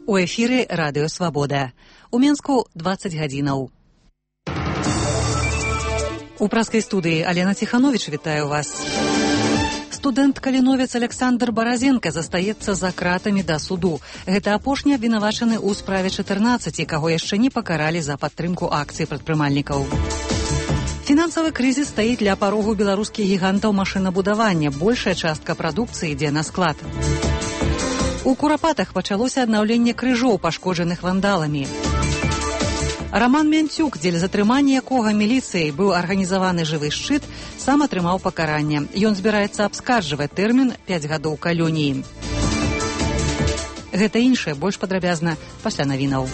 У эфіры Радыё Свабода. У Менску 20 гадзінаў. У праскай студыі Алена Ціхановіч вітаю вас. Студэнт-каліновец Александр Баразенка застаецца за кратамі да суду. Гэта апошні абвінавачаны ў справе 14, каго яшчэ не пакаралі за падтрымку акцый прадпрымальнікаў. Фінансавы крызіс стаіць ля парогу беларускіх гігантаў машынабудавання. Большая частка прадукцыі ідзе на склад. У Курапатах пачалося аднаўленне крыжоў, пашкоджаных вандаламі. Раман Мянцюк, дзеля затрымання якога міліцыяй быў арганізаваны жывы шчыт, сам атрымаў пакаранне. Ён збіраецца абскарджваць тэрмін 5 гадоў калоніі. Гэта іншае, больш падрабязна пасля навінаў.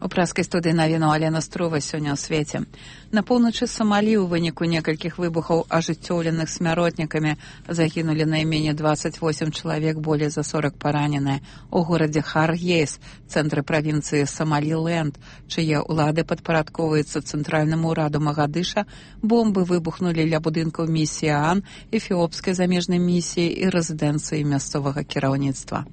У праскай студыі навіну Алена Струва сёння ў свеце. На поўначы Самалі ў выніку некалькіх выбухаў, ажыццёўленых смяротнікамі, загінулі найменей 28 чалавек, болей за 40 параненыя. У горадзе Харгейс, цэнтры правінцыі Самаліленд, чые ўлады падпарадковваюцца цэнтральнаму ўраду Магадыша, бомбы выбухнулі ля будынкаў місіі ААН, эфіопскай замежнай місіі і рэзідэнцыі мясцовага кіраўніцтва.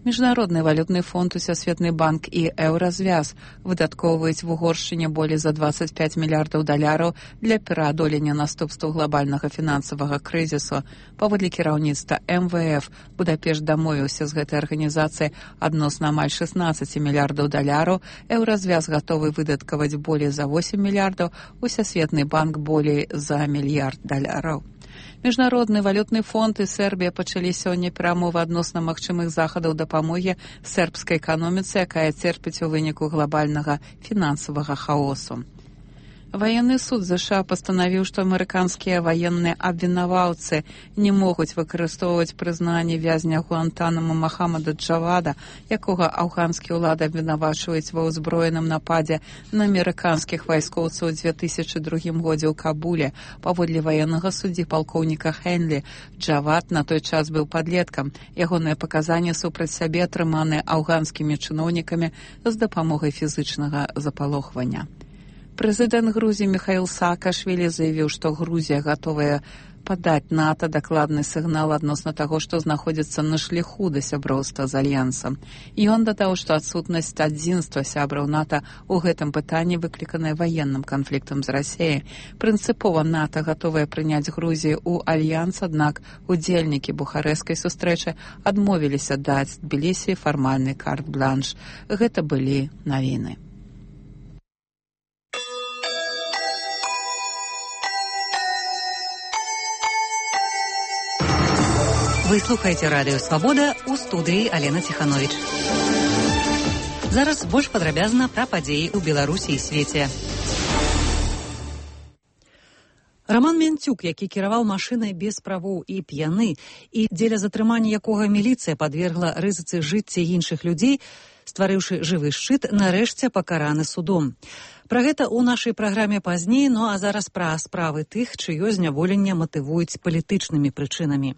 Міжнародны валютны фонд, Усесветны банк і Еўразвяз выдаткоўваюць в Угоршчыне болей за 25 мільярдаў даляраў для пераадолення наступстваў глобальнага фінансавага крызісу. Паводле кіраўніцтва МВФ, Будапешт дамовіўся з гэтай арганізацыяй адносна амаль 16 мільярдаў даляраў, Еўразвяз гатовы выдаткаваць болей за 8 мільярдаў, Усесветны банк болей за мільярд даляраў. Міжнародны валютны фонд і Сербія пачалі сёння перамовы адносна магчымых захадаў дапамогі сербскай эканоміцы, якая церпіць у выніку глобальнага фінансавага хаосу. Ваенны суд США пастанавіў, што амерыканскія ваенныя абвінаваўцы не могуць выкарыстоўваць прызнанне вязня Гуантанамо Махамада Джавада, якога афганскія ўлады абвінавачваюць ва ўзброеным нападзе на амерыканскіх вайскоўцаў у 2002 годзе ў Кабуле. Паводле ваеннага суддзі палкоўніка Хенлі, Джавад на той час быў падлеткам. Ягоныя паказанні супраць сябе атрыманыя афганскімі чыноўнікамі з дапамогай фізычнага запалохвання. Прэзідэнт Грузіі Міхаіл Саакашвілі заявіў, што Грузія гатовая падаць НАТО дакладны сігнал адносна таго, што знаходзіцца на шляху да сяброўства з альянсам. Ён дадаў, што адсутнасць адзінства сябраў НАТО ў гэтым пытанні выкліканая ваенным канфліктам з Расіяй. Прынцыпова НАТО гатовая прыняць Грузію ў альянс, аднак удзельнікі бухарэскай сустрэчы адмовіліся даць Тбілісі фармальны карт-бланш. Гэта былі навіны. Вы слухаеце Радыё Свабода, у студыі Алена Ціхановіч. Зараз больш падрабязна пра падзеі ў Беларусі і свеце. Раман Мянцюк, які кіраваў машынай без правоў і п'яны, і дзеля затрымання якога міліцыя падвергла рызыцы жыцця іншых людзей, стварыўшы жывы шчыт, нарэшце пакараны судом. Пра гэта ў нашай праграме пазней, а зараз пра справы тых, чыё зняволенне матывуюць палітычнымі прычынамі.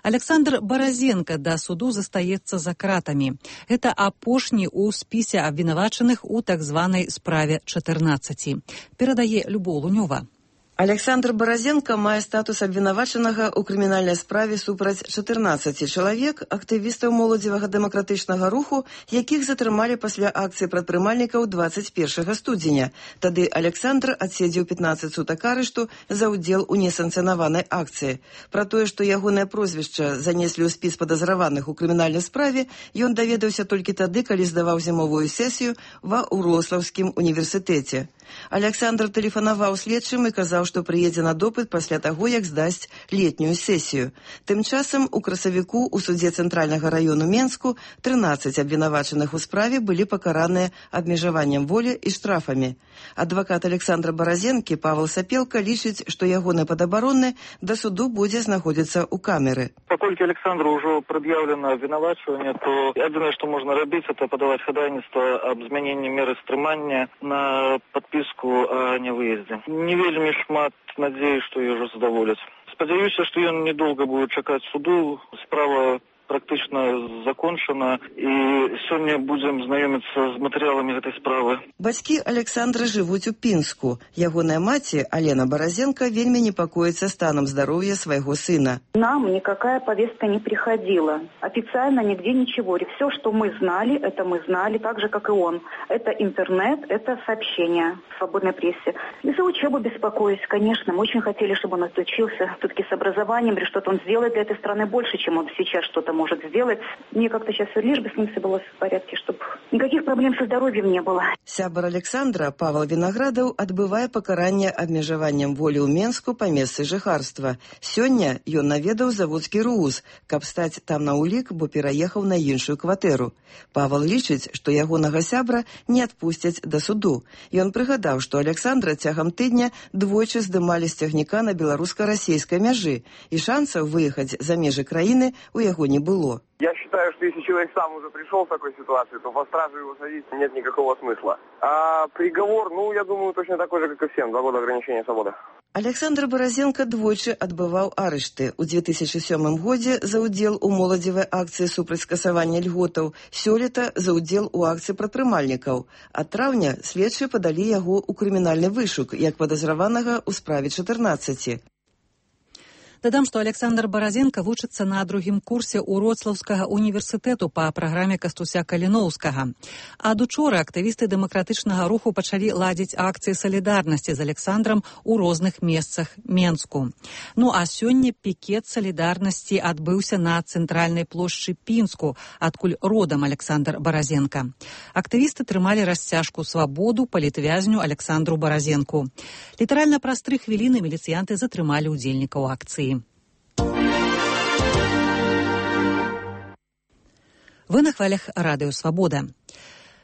Александр Баразенка да суду застаецца за кратамі. Гэта апошні ў спісе абвінавачаных у так званай справе 14. Перадае Любоў Лунёва. Александр Баразенка мае статус абвінавачанага ў крымінальнай справе супраць 14 чалавек, актывістаў моладзевага дэмакратычнага руху, якіх затрымалі пасля акцыі прадпрымальнікаў 21 студзеня. Тады Александр адседзеў 15 сутак арышту за ўдзел у несанкцыянаванай акцыі. Пра тое, што ягонае прозвішча занеслі ў спіс падазраваных у крымінальнай справе, ён даведаўся толькі тады, калі здаваў зімовую сесію ва Урослаўскім універсітэце. Александр тэлефанаваў следчым і казаў, што прыедзе на допыт пасля таго, як здасць летнюю сесію. Тым часам у красавіку ў судзе Цэнтральнага раёну Менску 13 абвінавачаных у справе былі пакараныя абмежаваннем волі і штрафамі. Адвакат Александра Баразенкі Павел Сапелка лічыць, што ягоны падабаронны да суду будзе знаходзіцца ў камеры. Паколькі Александру ўжо прад'яўлена абвінавачванне, то адзінае, што можна рабіць, это падаваць хадайніцтва аб змяненні меры стрымання на подпіску о невыезде. Не вельмі шмат надзеі, што яго задаволяць. Спадзяюся, што ён недолго будет чакаць суду. Справа практычна закончана, і сёння будзем знаёміцца з матэрыяламі гэтай справы. Бацькі Александра жывуць у Пінску. Ягоная маці, Алена Баразенко, вельмі непакоіцца станом здоровья своего сына. Нам никакая повестка не приходила. Официально нигде ничего. Все, что мы знали, это мы знали, так же, как и он. Это интернет, это сообщения в свободной прессе. И за учебу беспокоюсь, конечно. Мы очень хотели, чтобы он отучился все-таки с образованием, или что-то он сделает для этой страны больше, чем он сейчас что-то может сделать. Мне как-то сейчас лишь бы с ним все было в порядке, чтобы никаких проблем со здоровьем не было. Сябар Александра, Павел Виноградов, отбывае пакаранне абмежаваннем волі ў Менску па месцы жыхарства. Сёння ён наведаў заводскі РУУЗ, каб стаць там на ўлік, бо пераехаў на іншую кватэру. Павел лічыць, што ягонага сябра не адпусцяць да суду. Ён прыгадаў, што Александра цягам тыдня двойчы здымалі з цягніка на беларуска-расейскай мяжы, і шансаў выехаць за межы краіны у яго не было. Я считаю, что если человек сам уже пришел в такой ситуации, то по стражу его садить нет никакого смысла. А приговор, я думаю, точно такой же, как и всем. 2 года ограничения свободы. Александр Баразенко двойчы адбываў арышты. У 2007 годзе за ўдзел у моладзевай акцыі супраць скасавання льготаў, сёлета за ўдзел у акцыі прадпрымальнікаў. Ад траўня следчыя падалі яго ў крымінальны вышук як падазраванага ў справе 14. Дадам, што Александр Баразенко вучыцца на 2-м курсе Уроцлаўскага універсітэту па праграме Кастуся Каліноўскага. Ад учора актывісты дэмакратычнага руху пачалі ладзіць акцыі салідарнасці з Александрам у розных месцах Менску. А сёння пікет салідарнасці адбыўся на цэнтральнай плошчы Пінску, адкуль родам Александр Баразенко. Актывісты трымалі расцяжку свабоду палітвязню Александру Баразенку. Літаральна праз 3 хвіліны міліцыянты затрымалі ўдзельнікаў акцыі. Вы на хвалях радыё «Свабода».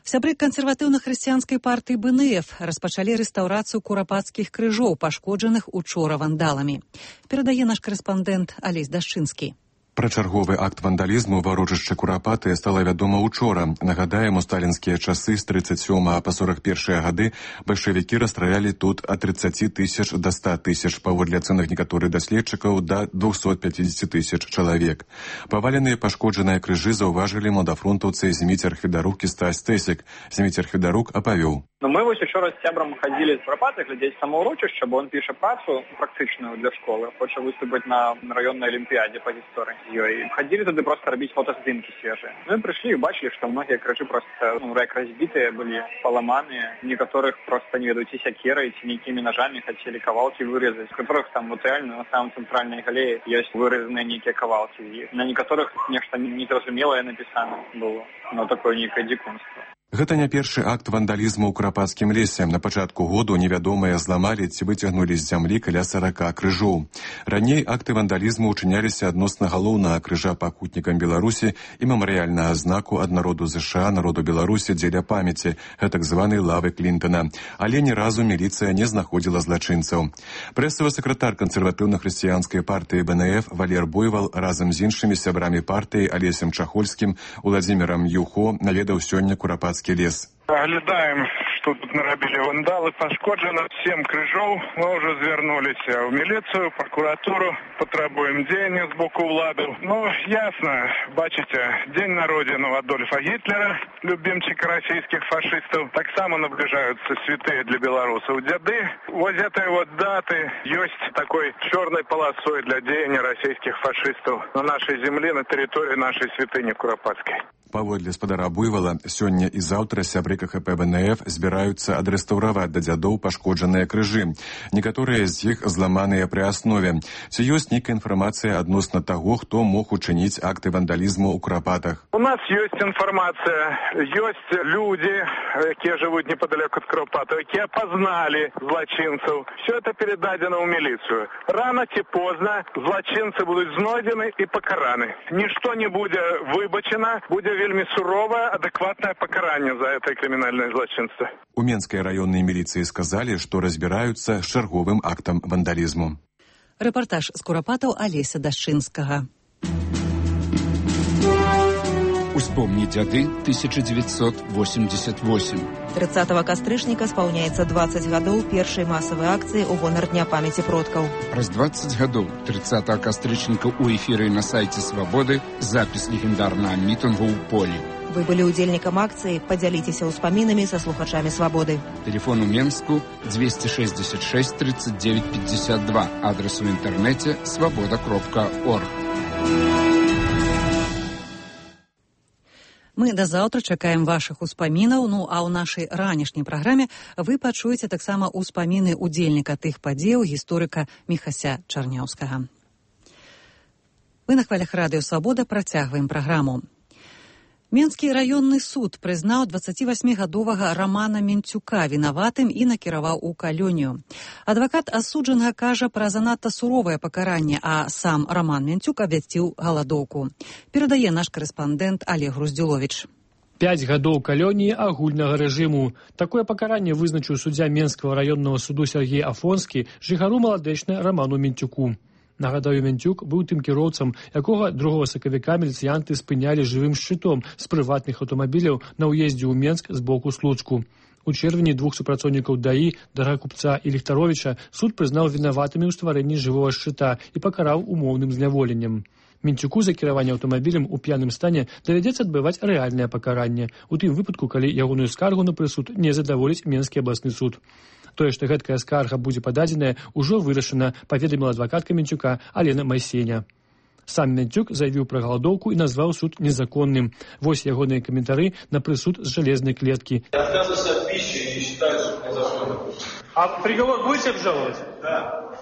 Сябры кансерватыўна-хрысціянскай партыі БНФ распачалі рэстаўрацыю курапацкіх крыжоў, пашкоджаных учора вандаламі. Перадае наш карэспандэнт Алесь Дашчынскі. Пра чарговы акт вандалізму ва ўрочышчы Курапаты стала вядома учора. Нагадаем, у сталінскія часы з 37 па 41 гады бальшавікі расстралялі тут ад 30 тысяч да 100 тысяч, паводле ацэнак некаторых даследчыкаў, да 250 тысяч чалавек. Паваленыя пашкоджаныя крыжы заўважылі младафронтаўцы Зміцер Хведарук і Стась Тэсік. Зміцер Хведарук апавёў. Мы вось учора з сябрам хадзілі з Курапаты глядзець самаўрочышча, бо он піша працу практычную для школы, хоча выступіць на раённай алімпіядзе па гісторыі. Ходили туда просто робить фотоздымки свежие. Мы пришли и бачили, что многие крыжи просто як разбитые были, поломанные. Некоторых просто, не ведут, секерой, некими ножами хотели кавалки вырезать. В которых там вот реально на самом центральной галерее есть вырезанные некие кавалки. И на некоторых нечто недоразумелое написано было. Но такое некое дикунство. Гэта не першы акт вандалізму ў Курапацкім лесе. На пачатку году невядомыя зламалі ці выцягнулі з зямлі каля 40 крыжоў. Раней акты вандалізму ўчыняліся адносна галоўнага крыжа пакутнікам Беларусі і мемарыяльнага знаку ад народу ЗША, народу Беларусі дзеля памяці, гэтак званай лавы Клінтана. Але ні разу міліцыя не знаходзіла злачынцаў. Прэсавы сакратар кансерватыўна-хрысціянскай партыі БНФ Валер Буйвал разам з іншымі сябрамі партыі Алесем Чахольскім, Уладзімірам Юхо наведаў сёння Курапацкі лес. Оглядаем, что тут нарабілі вандалы. Пашкоджано 7 крыжоў. Мы уже звернулись в милицию, прокуратуру. Потребуем дзеяння з боку ўладаў. Ясно, бачите, день народзінаў Адольфа Гитлера, любимчика российских фашистов. Так само наближаются святые для белорусов деды. Вот этой вот даты есть такой черной полосой для деяния российских фашистов на нашей земле, на территории нашей святыни Куропатской. Паводле спадара Буйвала, сёння і заўтра сябры КХП БНФ збіраюцца адрэстаўраваць да дзядоў пашкоджаныя крыжы. Некаторыя з іх зламаныя пры аснове. Ці ёсць нейкая інфармацыя адносна таго, хто мог учыніць акты вандалізму ў Курапатах? У нас есть информация, есть люди, якія жывуць неподалеку ад Куропатаў, якія пазналі злачынцаў. Все это передадено ў міліцыю. Рано ці позна злачынцы будуць знойдзены і пакараны. Нішто не будзе выбачана, будзе вельмі суровое, адэкватное пакаранне за это крымінальнае злачынство. У Менскай раённай міліцыі сказалі, што разбіраюцца з чарговым актам вандалізму. Рэпартаж з Курапатаў Алеся Дашчынскага. Успомни дяды 1988. 30 кастрычніка спаўняецца 20 гадоў першай масавай акцыі ў гонар Дня памяці продкаў. Праз 20 гадоў 30 кастрычніка ў эфіры на сайце Свабоды запіс легендарнага мітынгу ў полі. Вы былі ўдзельнікам акцыі, падзяліцеся ўспамінамі са слухачамі Свабоды. Телефон у Менску 266 39 52. Адрес у інтэрнэце свабода.орг. Мы да заўтра чакаем вашых успамінаў, а ў нашай ранішняй праграме вы пачуеце таксама ўспаміны ўдзельніка тых падзеяў гісторыка Міхася Чарняўскага. Вы на хвалях радыё Свабода працягваем праграму. Менскі раённы суд прызнаў 28-гадовага Рамана Менцюка вінаватым і накіраваў у калонію. Адвакат асуджанага кажа пра занадта суровае пакаранне, а сам Раман Менцюк абвясціў галадоўку. Перадае наш карэспандэнт Олег Груздзюловіч. 5 гадоў калоніі агульнага рэжыму. Такое пакаранне вызначыў суддзя Менскага раённага суду Сергей Афонскі жыхару маладэчна Раману Менцюку. Нагадаю, Менцюк быў тым кіроўцам, якога 2 сакавіка міліцыянты спынялі жывым шчытом з прыватных аўтамабіляў на ўездзе ў Менск з боку Слуцку. У чэрвені 2 супрацоўнікаў ДАІ, Дарагакупца і Ліхтаровіча, суд прызнаў вінаватымі ў стварэнні жывога шчыта і пакараў умоўным зняволеннем. Менцюку за кіраванне аўтамабілем у п'яным стане давядзецца адбываць рэальнае пакаранне, у тым выпадку, калі ягоную скаргу на прысуд не задаволіць Менскі абласны суд. Тое, што гэткая скарга будзе пададзеная, ужо вырашана, паведаміла адвакатка Менцюка Алена Майсеня. Сам Менцюк заявіў пра галадоўку і назваў суд незаконным. Вось ягоныя каментары на прысуд з жалезнай клеткі. Отказываться от пищи не считаю суд незаконным. А приговор будете обжаловать? Да.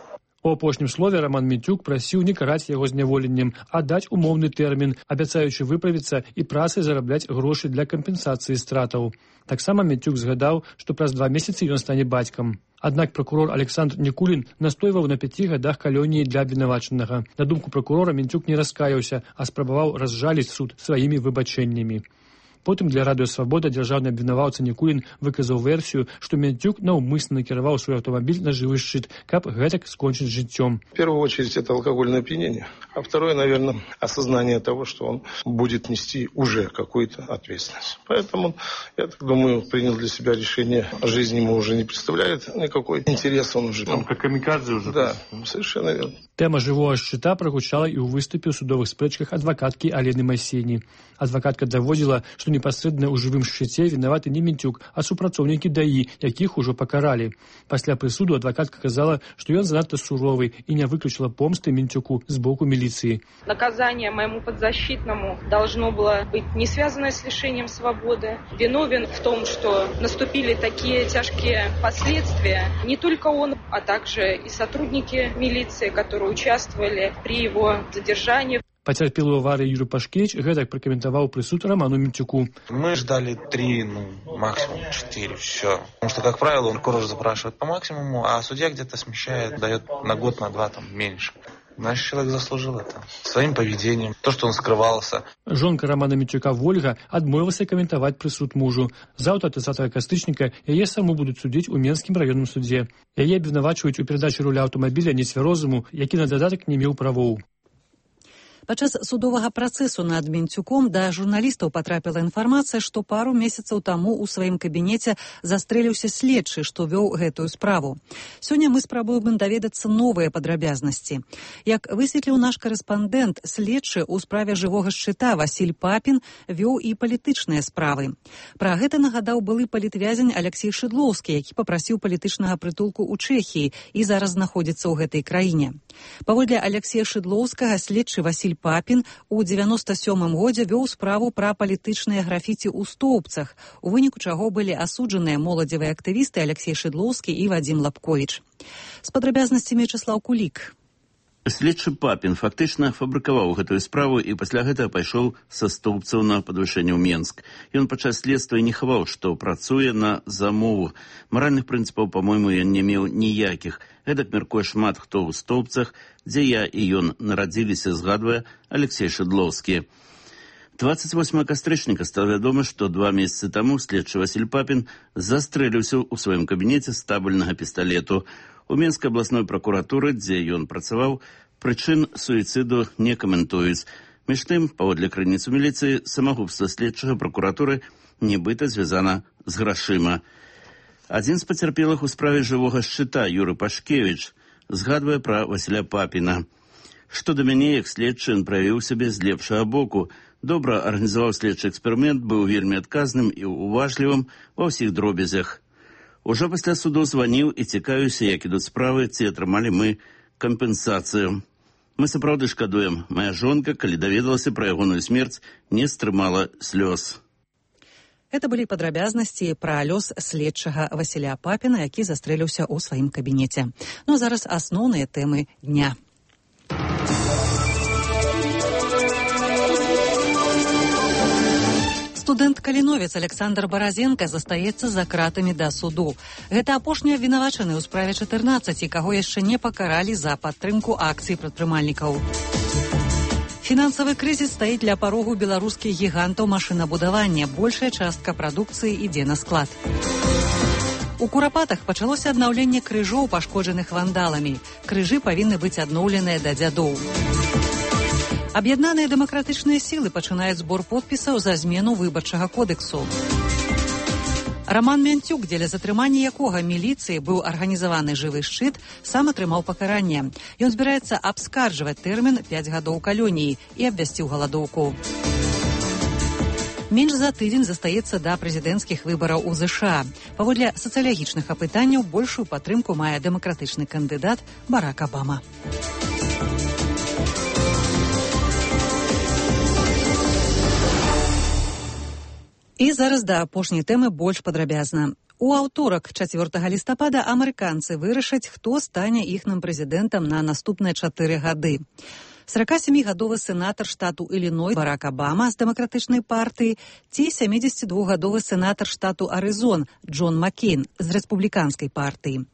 У апошнім слове Раман Менцюк прасіў не караць яго зняволеннем, а даць умоўны тэрмін, абяцаючы выправіцца і працай зарабляць грошы для кампенсацыі стратаў. Таксама Менцюк згадаў, што праз 2 месяцы ён стане бацькам. Аднак пракурор Александр Никулин настойваў на 5 гадах калоніі для абвінавачанага. На думку пракурора, Менцюк не раскаяўся, а спрабаваў разжаліць суд сваімі выбачэннямі. Потым для радыё Свабода дзяржаўны абвінаваўца Никулин выказаў версію, што Менцюк наўмысна накіраваў свой аўтамабіль на жывы шчыт, каб гэтак скончыць жыццём. В первую очередь это алкогольное опьянение, а второе, наверное, осознание того, что он будет нести уже какую-то ответственность. Поэтому, я так думаю, принял для себя решение, жизнь ему уже не представляет никакой интерес, он уже... Там как камикадзе уже. Да, совершенно верно. Тэма жывога шчыта прагучала і ў выступе ў судовых спрэчках адвакаткі Алены Майсені. Адвакатка даводзіла, што непасрэдна ў жывым шчыце вінаваты не Менцюк, а супрацоўнікі ДАІ, якіх ужо пакаралі. Пасля прысуду адвакатка казала, што ён занадта суровы і не выключила помсты Менцюку з боку милиции. Наказание моему подзащитному должно было быть не связано с лишением свободы. Виновен в том, что наступили такие тяжкие последствия. Не только он, а также и сотрудники милиции, которые участвовали при его задержании. Потерпелый в аварии Юрий Пашкевич гэтак прокомментовал присуд Роману Менцюку. Мы ждали 3, максимум 4, все. Потому что, как правило, он кураж запрашивает по максимуму, а судья где-то смещает, дает на год, на 2 меньше. Наш человек заслужил это своим поведением, то, что он скрывался. Жонка Романа Менцюка Вольга адмовілася каментаваць прысуд мужу. Заўтра 30 кастрычніка яе саму будуць судзіць у Менскім раённым судзе. Яе абвінавачваюць у перадачы руля аўтамабіля нецвярозаму, які на дадатак не меў правоў. Падчас судовага працэсу над Менцюком да журналістаў патрапіла інфармацыя, што пару месяцаў таму ў сваім кабінеце застрэліўся следчы, што вёў гэтую справу. Сёння мы спрабуем даведацца новыя падрабязнасці. Як высветліў наш карэспандэнт, следчы ў справе жывога шчыта Васіль Папін вёў і палітычныя справы. Пра гэта нагадаў былы палітвязень Алексей Шыдлоўскі, які папрасіў палітычнага прытулку ў Чэхіі і зараз знаходзіцца ў гэтай краіне. Паводле Алексея Шыдлоўскага, следчы Васіль Папін у 97-м годзе вёў справу пра палітычныя графіці ў Стоўбцах, у выніку чаго былі асуджаныя моладзевыя актывісты Алексей Шыдлоўскі і Вадзім Лапковіч. З падрабязнасцямі Вячеслаў Кулік. Следчы Папін фактычна фабрыкаваў гэтую справу і пасля гэтага пайшоў са Стоўбцаў на падвышэнне ў Менск. Ён падчас следства і не хаваў, што працуе на замову. Маральных прынцыпаў, па-мойму, ён не меў ніякіх. Гэтак мяркуе шмат хто ў Стоўбцах, дзе я і ён нарадзіліся, згадвае Алексей Шыдлоўскі. 28 кастрычніка стала вядома, што 2 месяцы таму следчы Васіль Папін застрэліўся ў сваім кабінеце з табельнага пісталету. У Менскай абласной пракуратуры, дзе ён працаваў, прычын суіцыду не каментуюць. Між тым, паводле крыніц у міліцыі, самагубства следчага пракуратуры нібыта звязана з грашыма. Адзін з пацярпелых у справе жывога шчыта, Юры Пашкевіч, згадвае пра Васіля Папіна. Што да мяне, як следчы, ён праявіў сябе з лепшага боку. Добра арганізаваў следчы эксперымент, быў вельмі адказным і уважлівым ва ўсіх дробязях. Ужо пасля суду званіў і цікавіўся, як ідуць справы, ці атрымалі мы кампенсацыю. Мы сапраўды шкадуем. Моя жонка, калі даведалася пра ягоную смерць, не стрымала слёз. Это былі падрабязнасці пра лёс следчага Васіля Папіна, які застрэліўся ў сваім кабінеце. Ну а зараз асноўныя тэмы дня. Студэнт-каліновец Александр Баразенка застаецца за кратамі да суду. Гэта апошні абвінавачаны ў справе 14, каго яшчэ не пакаралі за падтрымку акцый прадпрымальнікаў. Фінансавы крызіс стаіць ля парогу беларускіх гігантаў машынабудавання. Большая частка прадукцыі ідзе на склад. У Курапатах пачалося аднаўленне крыжоў, пашкоджаных вандаламі. Крыжы павінны быць адноўленыя да дзядоў. Аб'яднаныя дэмакратычныя сілы пачынаюць збор подпісаў за змену выбарчага кодексу. Роман Мянцюк, дзеля затрымання якога міліцыі быў арганізаваны жывы шчыт, сам атрымаў пакаранне. Ён збіраецца абскарджваць тэрмін 5 гадоў калоніі і абвясціў галадоўку. Менш за тыдзень застаецца да прэзідэнцкіх выбараў у ЗША. Паводле сацыялагічных апытанняў большую падтрымку мае дэмакратычны кандыдат Барак Абама. І зараз да апошняй тэмы больш падрабязна. У аўторак, 4 лістапада, амерыканцы вырашаць, хто стане іхным прэзідэнтам на наступныя 4 гады. 47-гадовы сенатар штату Іліной Барак Абама з дэмакратычнай партыі ці 72-гадовы сенатар штату Арызон Джон Маккейн з рэспубліканскай партыі.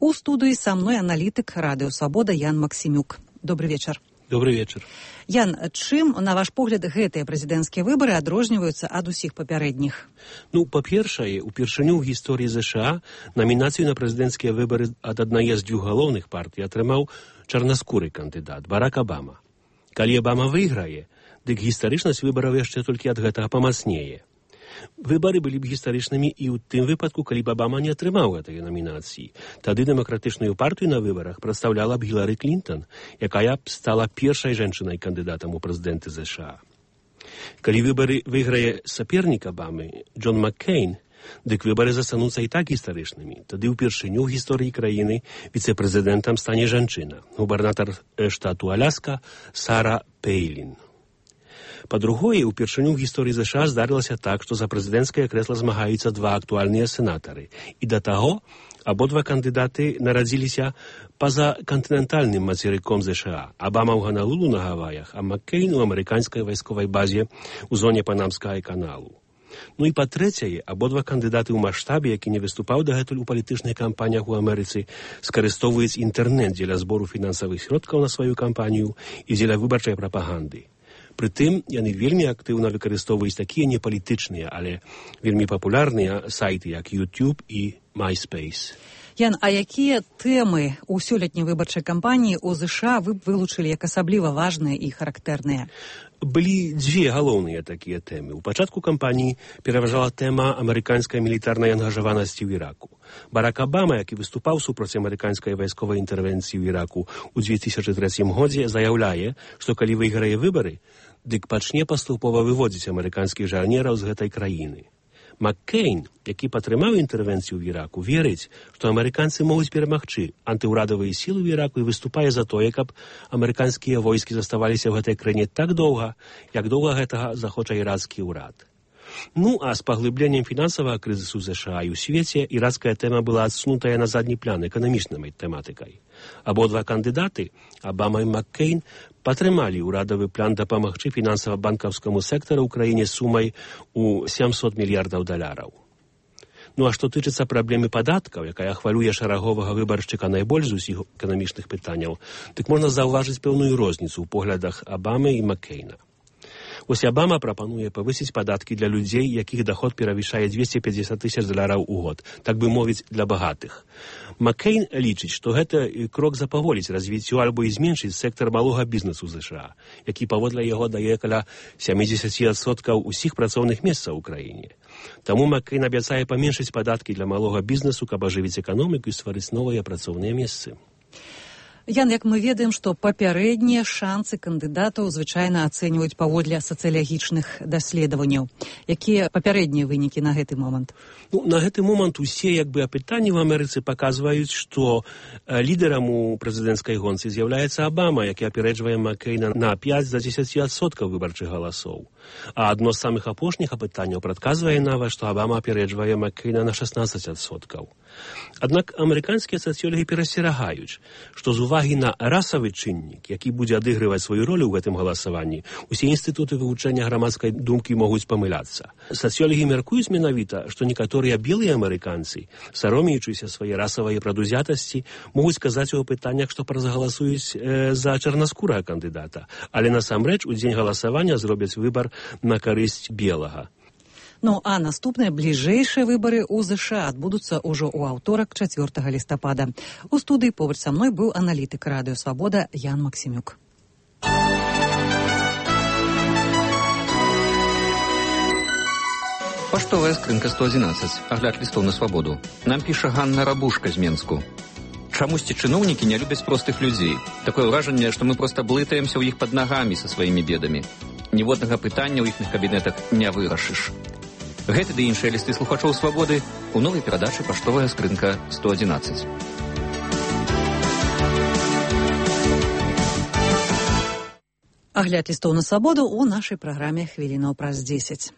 У студыі са мной аналітык Радыё Свабода Ян Максімюк. Добрый вечар. Добрый вечар. Ян, чым, на ваш погляд, гэтыя прэзідэнцкія выбары адрозніваюцца ад усіх папярэдніх? Ну, па-першае, упершыню ў гісторыі ЗША намінацыю на прэзідэнцкія выбары ад аднае з дзвюх галоўных партый атрымаў чарнаскуры кандыдат Барак Абама. Калі Абама выйграе, дык гістарычнасць выбараў яшчэ толькі ад гэтага памацнее. Выбары былі б гістарычнымі і ў тым выпадку, калі б Абама не атрымаў гэтай намінацыі. Тады дэмакратычную партыю на выбарах прадстаўляла б Гілары Клінтон, якая б стала першай жанчынай кандыдатам у прэзідэнты ЗША. Калі выбары выйграе сапернік Абамы, Джон Маккейн, дык выбары застануцца і так гістарычнымі. Тады ўпершыню ў гісторыі краіны віцэ-прэзідэнтам стане жанчына, губернатар штату Аляска Сара Пейлін. Па-другое, упершыню ў гісторыі ЗША здарылася так, што за прэзідэнцкае крэсла змагаюцца два актуальныя сенатары. І да таго, абодва кандыдаты нарадзіліся па-за кантынентальным мацерыком ЗША. Абама ў Ганалулу на Гаваях, а Маккейн у амерыканскай вайсковай базе ў зоне Панамскага каналу. Ну і па-трэцяе, абодва кандыдаты ў маштабе, які не выступаў дагэтуль у палітычных кампаніях у Амерыцы, скарыстоўваюць інтэрнэт дзеля збору фінансавых сродкаў на сваю кампанію і дзеля выбарчай прапаганды. Прытым, яны вельмі актыўна выкарыстоўваюць такія непалітычныя, але вельмі папулярныя сайты, як YouTube і MySpace. Ян, а якія тэмы ў сёлетняй выбарчай кампаніі ў ЗША вы б вылучылі як асабліва важныя і характэрныя? Былі дзве галоўныя такія тэмы. У пачатку кампаніі пераважала тэма амерыканскай мілітарнай ангажаванасці ў Іраку. Барак Абама, які выступаў супраць амерыканскай вайсковай інтэрвенцыі ў Іраку ў 2003 годзе, заяўляе, што калі выйграе выбары, дык пачне паступова выводзіць амерыканскіх жарнераў з гэтай краіны. Маккейн, які падтрымаў інтэрвенцыю ў Іраку, верыць, што амерыканцы могуць перамагчы антыўрадавыя сілы ў Іраку і выступае за тое, каб амерыканскія войскі заставаліся ў гэтай краіне так доўга, як доўга гэтага захоча ірацкі ўрад. Ну, а з паглыбленнем фінансавага крызісу ЗША і ў свеце ірацкая тэма была адсунутая на задні план эканамічнай тэматыкай. Абодва кандыдаты, Абама і Маккейн, падтрымалі ўрадавы план дапамагчы фінансава-банкаўскаму сектару ў краіне сумай у $700 мільярдаў. Ну а што тычыцца праблемы падаткаў, якая хвалюе шараговага выбаршчыка найбольш з усіх эканамічных пытанняў, дык можна заўважыць пэўную розніцу ў поглядах Абамы і Маккейна. Вось Абама прапануе павысіць падаткі для людзей, якіх доход перавышае $250 тысяч у год, так бы мовіць, для багатых. Маккейн лічыць, што гэта крок запаволіць развіццё альбо і зменшыць сектар малога бізнесу США, які паводле яго дае каля 70% усіх працоўных месцаў у краіне. Таму Маккейн абяцае паменшыць падаткі для малога бізнесу, каб ажывіць эканоміку і стварыць новыя працоўныя месцы. Ян, як мы ведаем, што папярэднія шансы кандыдатаў звычайна ацэньваюць паводле сацыялагічных даследаванняў. Якія папярэднія вынікі на гэты момант? На гэты момант усе апытанні в Амерыцы паказваюць, што лідарам у прэзідэнцкай гонцы з'яўляецца Абама, які апярэджвае Маккейна на 5-10% выбарчых галасоў. А адно з самых апошніх апытанняў прадказвае нават, што Абама апярэджвае Маккейна на 16%. Аднак амерыканскія сацыёлагі перасцерагаюць, што з увагі на расавы чыннік, які будзе адыгрываць сваю ролю ў гэтым галасаванні, усе інстытуты вывучэння грамадскай думкі могуць памыляцца. Сацыёлагі мяркуюць менавіта, што некаторыя белыя амерыканцы, саромеючыся свае расавай прадузятасці, могуць сказаць у апытаннях, што прагаласуюць за чарнаскурага кандыдата, але насамрэч у дзень галасавання зробяць выбар на карысць белага. Ну, а наступныя бліжэйшыя выбары ў ЗША адбудуцца ўжо ў аўторак 4 лістапада. У студыі побач са мной быў аналітык Радыё Свабода Ян Максімюк. Паштовая скрынка 111. Агляд лістоў на свабоду. Нам піша Ганна Рабушка з Менску. Чамусьці чыноўнікі не любяць простых людзей. Такое ўражанне, што мы проста блытаемся ў іх пад нагамі са сваімі бедамі. Ніводнага пытання ў іхных кабінетах не вырашыш. Гэты ды іншыя лісты слухачоў свабоды у новай перадачы «Паштовая скрынка 111». Агляд лістоў на свабоду ў нашай праграме «Хвілінаў праз 10».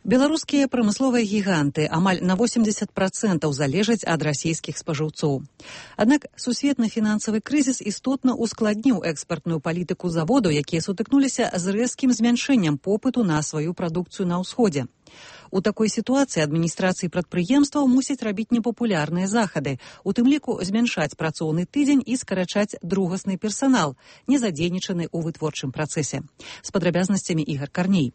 Беларускія прамысловыя гіганты амаль на 80% залежаць ад расійскіх спажыўцоў. Аднак сусветны фінансавы крызіс істотна ускладніў экспартную палітыку заводу, якія сутыкнуліся з рэзкім змяншэннем попыту на сваю прадукцыю на ўсходзе. У такой сітуацыі адміністрацыі прадпрыемстваў мусяць рабіць непапулярныя захады, у тым ліку змяншаць працоўны тыдзень і скарачаць другасны персанал, не задзейнічаны ў вытворчым працэсе. З падрабязнасцямі Ігар Карней.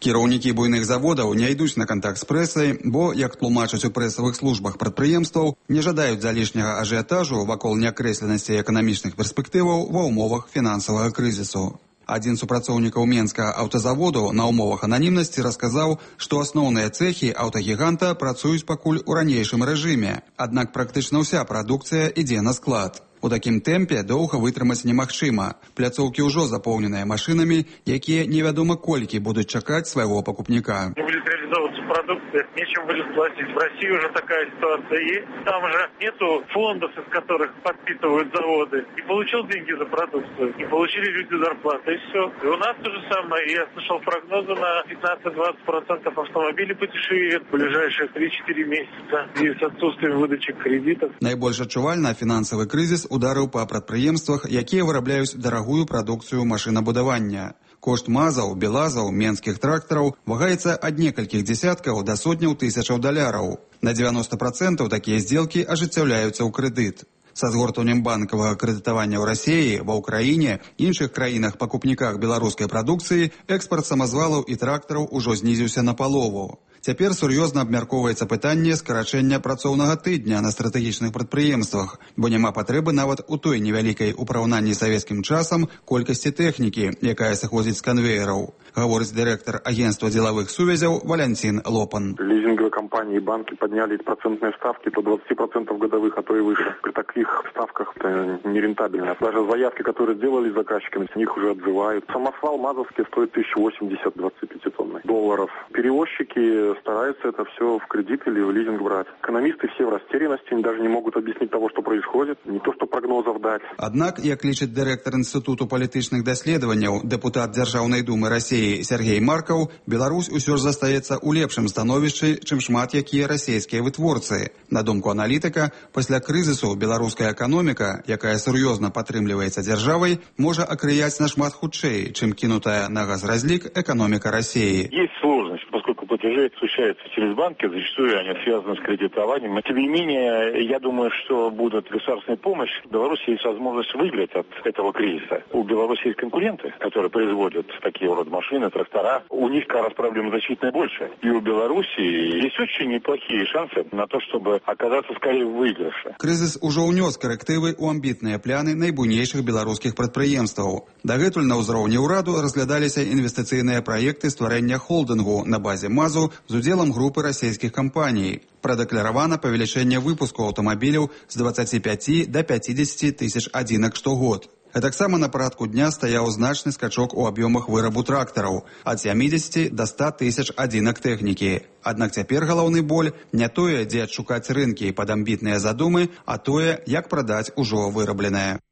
Кіраўнікі буйных заводаў не ідуць на кантакт з прэсай, бо, як тлумачаць у прэсавых службах прадпрыемстваў, не жадаюць залішняга ажыятажу вакол неакрэсленасці эканамічных перспектываў ва ўмовах фінансавага крызісу. Адзін з супрацоўнікаў Менскага аўтазаводу на ўмовах ананімнасці расказаў, што асноўныя цэхі аўтагіганта працуюць пакуль у ранейшым рэжыме, аднак практычна ўся прадукцыя ідзе на склад. У такім тэмпе доўга вытрымаць немагчыма. Пляцоўкі ўжо запоўненыя машынамі, якія невядома колькі будуць чакаць свайго пакупніка. Не будет реализовываться продукция, нечем будет платить. В России уже такая ситуация есть. Там же нету фондов, из которых подпитывают заводы. Не получил деньги за продукцию, не получили люди зарплаты, и все. И у нас то же самое. Я слышал прогнозы на 15-20% автомобилей подешевеют в ближайшие 3-4 месяца. И с отсутствием выдачи кредитов. Найбольш адчувальна фінансавы крызіс ударыў па прадпрыемствах, якія вырабляюць дарагую прадукцыю машынабудавання. Кошт мазаў, белазаў, менскіх трактараў вагаецца ад некалькіх дзесяткаў да сотняў тысячаў даляраў. На 90% такія здзелкі ажыццяўляюцца ў крэдыт. Са згортваннем банкавага крэдытавання ў Расіі, ва Ўкраіне, іншых краінах-пакупніках беларускай прадукцыі экспарт самазвалаў і трактараў ужо знізіўся на палову. Цяпер сур'ёзна абмяркоўваецца пытанне скарачэння працоўнага тыдня на стратэгічных прадпрыемствах, бо няма патрэбы нават у той невялікай у параўнанні з савецкім часам колькасці тэхнікі, якая сыходзіць з канвеераў, гаворыць дырэктар агентства дзелавых сувязяў Валянцін Лопан. Лизинговые компании и банки подняли процентные ставки до 20% годовых, а то и выше. При таких ставках это нерентабельно. Даже заявки, которые сделали заказчиками, с них уже отзывают. Самосвал мазовский стоит 1080 25 долларов. Перевозчики стараются это все в кредит или в лизинг брать. Экономисты все в растерянности, они даже не могут объяснить того, что происходит, не то что прогнозов дать. Аднак, як лічыць дырэктар Інстытуту палітычных даследаванняў, дэпутат Дзяржаўнай думы Расіі Сергей Маркаў, Беларусь усё ж застаецца ў лепшым становішчы, чым шмат якія расійскія вытворцы. На думку аналітыка, пасля крызісу беларуская эканоміка, якая сур'ёзна падтрымліваецца дзяржавай, можа акрыяць нашмат хутчэй, чым кінутая на газразлік эканоміка Расіі. Есть сложность, поскольку платежи осуществляются через банки, зачастую они связаны с кредитованием. Тем не менее, я думаю, что будет государственная помощь. В Беларуси есть возможность выиграть от этого кризиса. У Беларуси есть конкуренты, которые производят такие вот машины, трактора. У них как раз проблем значительно больше. И у Беларуси есть очень неплохие шансы на то, чтобы оказаться скорее в выигрыше. Крызіс ужо ўнёс карэктывы ў амбітныя пляны найбуйнейшых беларускіх прадпрыемстваў. Дагэтуль на ўзроўні ўраду разглядаліся інвестыцыйныя праекты стварэння холдынгу на базе МАЗу з удзелам групы расійскіх кампаній. Прадэкларавана павелічэнне выпуску аўтамабіляў з 25 до 50 тысяч адзінак штогод. А таксама на парадку дня стаяў значны скачок у аб'ёмах вырабу трактараў ад 70 до 100 тысяч адзінак тэхнікі. Аднак цяпер галоўны боль не тое, дзе адшукаць рынкі пад амбітныя задумы, а тое, як прадаць ужо вырабленае.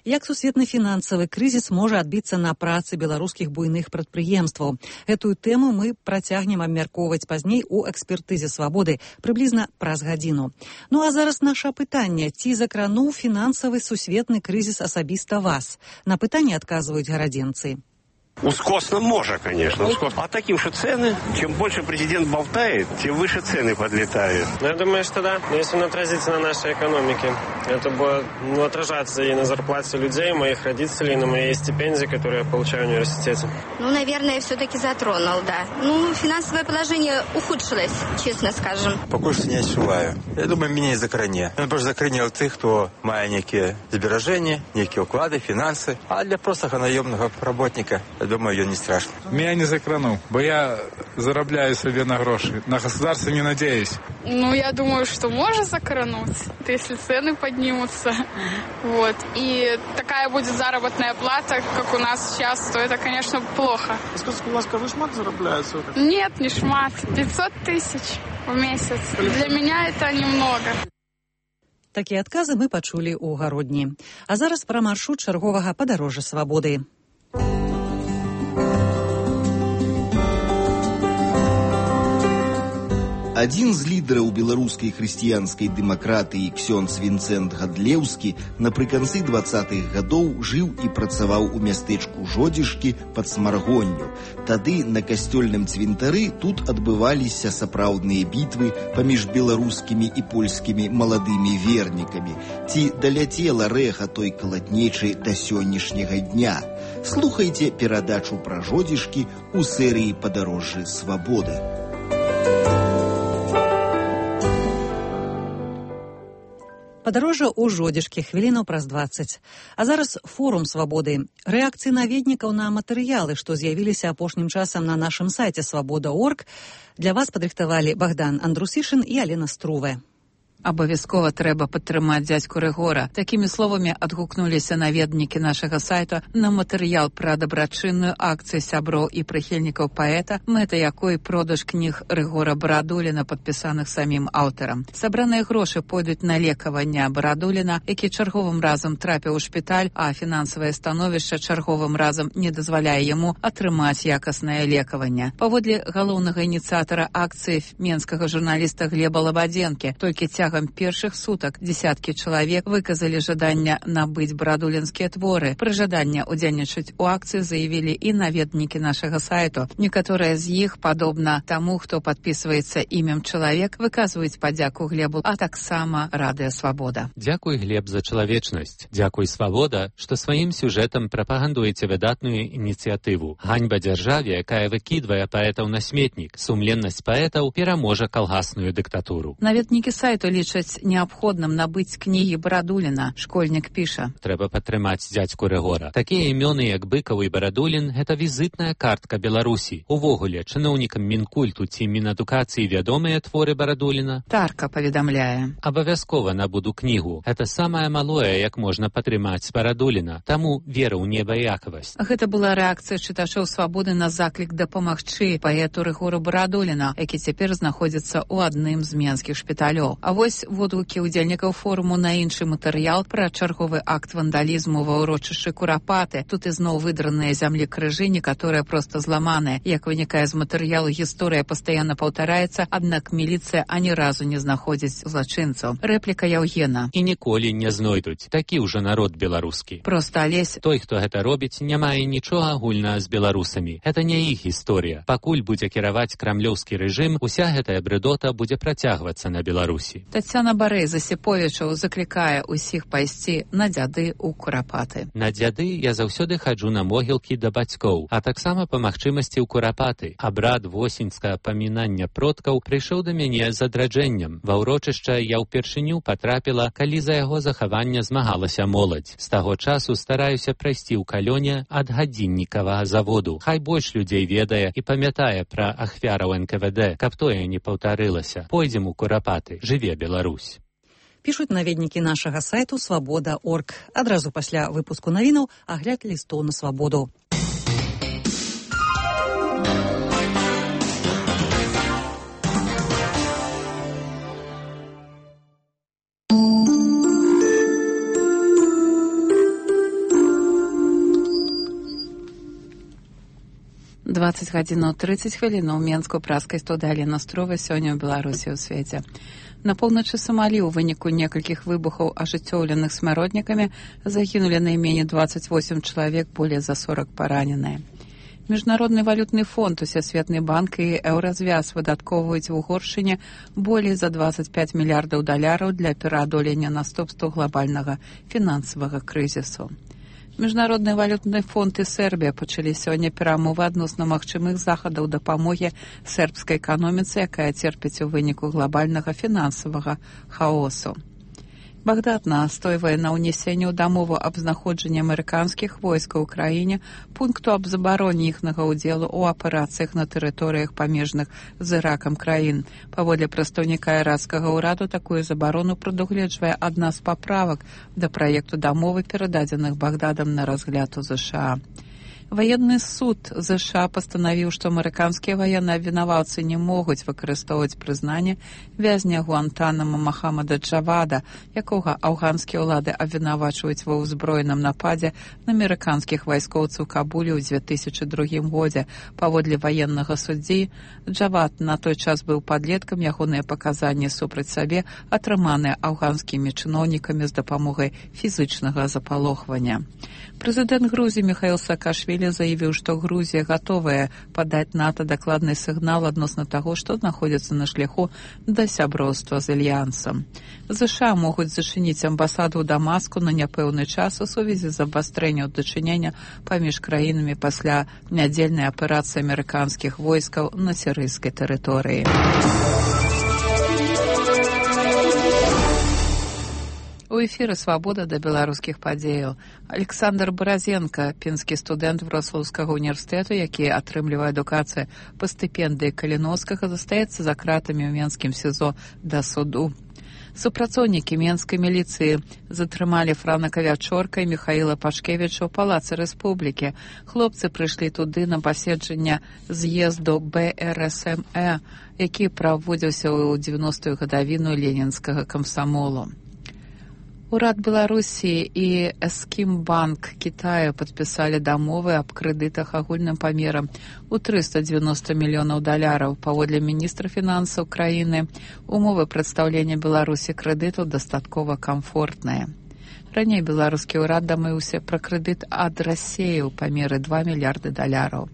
Як сусветны фінансавы крызіс можа адбіцца на працы беларускіх буйных прадпрыемстваў? Гэтую тэму мы працягнем абмяркоўваць пазней у экспертызе свабоды прыблізна праз гадзіну. Ну а зараз наша пытанне: ці закрануў фінансавы сусветны крызіс асабіста вас? На пытанне адказваюць гарадзенцы. Ускосно может, конечно. А таким же цены, чем больше президент болтает, тем выше цены подлетают. Я думаю, что да. Если он отразится на нашей экономике, это будет отражаться и на зарплате людей, моих родителей, на моей стипендии, которую я получаю в университете. Наверное, все-таки затронул, да. Финансовое положение ухудшилось, честно скажем. Пока что не отчуваю. Я думаю, меня не закранет. Он просто закранил тех, кто має некие сбережения, некие уклады, финансы. А для простого наемного работника, я думаю, ее не страшно. Меня не закранул, бо я зарабляю себе на гроши. На государство не надеюсь. Я думаю, что может закрануть, если цены поднимутся. И такая будет заработная плата, как у нас сейчас, то это, конечно, плохо. Скажите, пожалуйста, вы шмат зарабляете? Нет, не шмат. 500 тысяч в месяц. Для меня это немного. Такія адказы мы пачулі ў гародні. А зараз пра маршрут чарговага падарожжа свабоды. Адзін з лідараў беларускай хрысціянскай дэмакратыі ксёндз Вінцэнт Гадлеўскі напрыканцы 20-х гадоў жыў і працаваў у мястэчку Жодзішкі пад Смаргонню. Тады на касцёльным цвінтары тут адбываліся сапраўдныя бітвы паміж беларускімі і польскімі маладымі вернікамі. Ці даляцела рэха той калатнечы да сённяшняга дня? Слухайце перадачу пра Жодзішкі ў серыі «Падарожжы свабоды». Падарожжа ў Жодзішкі хвілінаў праз 20. А зараз форум свабоды. Рэакцыі наведнікаў на матэрыялы, што з'явіліся апошнім часам на нашым сайце свабода.орг, для вас падрыхтавалі Богдан Андрусішын і Алена Струве. Абавязкова трэба падтрымаць дзядзьку Рыгора. Такімі словамі адгукнуліся наведнікі нашага сайта на матэрыял пра дабрачынную акцыю сяброў і прыхільнікаў паэта, мэта якой продаж кніг Рыгора Барадуліна, падпісаных самім аўтарам. Сабраныя грошы пойдуць на лекаванне Барадуліна, які чарговым разам трапіў у шпіталь, а фінансавае становішча чарговым разам не дазваляе яму атрымаць якаснае лекаванне. Паводле галоўнага ініцыятара акцыі менскага журналіста Глеба Лабадзенкі, толькі цягам першых сутак десяткі чалавек выказалі жаданне набыць барадулінскія творы. Пры жаданні удзельнічаць у акцыі заявілі і наведнікі нашага сайту. Некаторыя з іх, падобна таму, хто падпісваецца імем чалавек, выказваюць падзяку Глебу, а таксама Радыё Свабода. Дзякуй, Глеб, за чалавечнасць. Дзякуй, Свабода, што сваім сюжэтам прапагандуеце выдатную ініцыятыву. Ганьба дзяржаве, якая выкідвае паэтаў на сметнік. Сумленнасць паэтаў пераможа калгасную дыктатуру. Наведнікі сайту лічаць неабходным набыць кнігі Барадуліна. Школьнік піша: Трэба падтрымаць дзядзьку Рыгора. Такія імёны, як Быкаў і Барадулін, гэта візітная картка Беларусі. Увогуле, чыноўнікам Мінкульту ці Мінадукацыі вядомыя творы Барадуліна? Тарка паведамляе: Абавязкова набуду кнігу. Гэта самае малое, як можна падтрымаць Барадуліна. Таму вера ў небаякавасць. Гэта была рэакцыя чытачоў свабоды на заклік дапамагчы паэту Рыгору Барадуліна, які цяпер знаходзіцца ў адным з менскіх шпіталёў. А Вось водгукі удзельнікаў форуму на іншы матэрыял пра чарговы акт вандалізму ва ўрочышчы Курапаты. Тут ізноў выдраныя зямлі крыжы, некаторыя проста зламаныя. Як вынікае з матэрыялу, гісторыя пастаянна паўтараецца, аднак міліцыя ані разу не знаходзіць злачынцаў. Рэпліка Яўгена. І ніколі не знойдуць. Такі ўжо народ беларускі. Проста Алесь. Той, хто гэта робіць, не мае нічога агульнага з беларусамі. Гэта не іх гісторыя. Пакуль будзе кіраваць крамлёўскі рэжым, уся гэтая брэдота будзе працягвацца на Беларусі. Тацяна Барэй з Асіповічаў заклікае ўсіх пайсці на дзяды ў Курапаты. На дзяды я заўсёды хаджу на могілкі да бацькоў, а таксама па магчымасці ў Курапаты. Абрад восеньскага памінання продкаў прыйшоў да мяне з адраджэннем. Ва ўрочышча я ўпершыню патрапіла, калі за яго захаванне змагалася моладзь. З таго часу стараюся прайсці ў Калёне ад гадзіннікавага заводу. Хай больш людзей ведае і памятае пра ахвяраў НКВД, каб тое не паўтарылася. Пойдзем у Курапаты. Жыве Беларусь. Пішуць наведнікі нашага сайту «Свабода.орг». Адразу пасля выпуску навінаў агляд лістоў на свабоду. «20 гадзінаў 30 хвілінаў» Менску праскай студыі Алена Строва сёння ў Беларусі ў свеце. На поўначы Сомалі ў выніку некалькіх выбухаў, ажыццёўленых смяротнікамі, загінулі найменей 28 чалавек, болей за 40 параненыя. Міжнародны валютны фонд, Усесветны банк і Еўразвяз выдаткоўваюць у Угоршчыне болей за 25 мільярдаў даляраў для пераадолення наступстваў глобальнага фінансавага крызісу. Міжнародны валютны фонд і Сербія пачалі сёння перамовы адносна магчымых захадаў дапамогі сербскай эканоміцы, якая церпіць у выніку глобальнага фінансавага хаосу. Багдад настойвае на ўнесенні ў дамову аб знаходжанні амерыканскіх войскаў у краіне пункту аб забароне іхнага ўдзелу ў аперацыях на тэрыторыях памежных з Іракам краін. Паводле прадстаўніка іракскага ўраду, такую забарону прадугледжвае адна з паправак да праекту дамовы, перададзеных Багдадам на разгляд у ЗША. Военный суд США пастанавіў, што амерыканскія военныя абвінаваўцы не могуць выкарыстоўваць прызнанне вязня Гуантанамо Махамада Джавада, якога афганскія ўлады абвінавачваюць ва ўзброеным нападзе на амерыканскіх вайскоўцаў Кабулі ў 2002 годзе. Паводле военнага суддзі, Джавад на той час быў падлеткам, ягоныя паказанні супраць сабе атрыманыя афганскімі чыноўнікамі з дапамогай фізычнага запалохвання. Прэзідэнт Грузіі Міхаіл Саакашвілі заявіў, што Грузія гатовая падаць НАТО дакладны сігнал адносна таго, што знаходзіцца на шляху да сяброўства з альянсам. ЗША могуць зачыніць амбасаду ў Дамаску на няпэўны час у сувязі з абвастрэннем дачынення паміж краінамі пасля нядзельнай аперацыі амерыканскіх войскаў на сірыйскай тэрыторыі. У эфіры «Свабода» да беларускіх падзеяў. Александр Баразенко, пінскі студэнт Вроцлаўскага універсітэту, які атрымлівае адукацыю па стыпендыі Каліноўскага, застаецца за кратамі ў Менскім СІЗО да суду. Супрацоўнікі менскай міліцыі затрымалі Франака Вячорка і Міхаіла Пашкевіча ў Палацы Рэспублікі. Хлопцы прыйшлі туды на паседжанне з'езду БРСМЭ, які праводзіўся ў 90-ю гадавіну ленінскага камсамолу. Урад Беларусі і Эскімбанк Китаю падпісалі дамовы аб крэдытах агульным памерам у 390 мільёнаў даляраў. Паводле міністра фінансаў краіны, умовы прадстаўлення Беларусі крэдыту дастаткова камфортныя. Раней беларускі ўрад дамыўся пра крэдыт ад Расіі ў памеры 2 мільярды даляраў.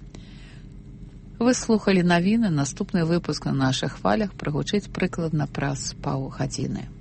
Вы слухалі навіны, наступны выпуск на нашых хвалях прагучыць прыкладна праз паўгадзіны.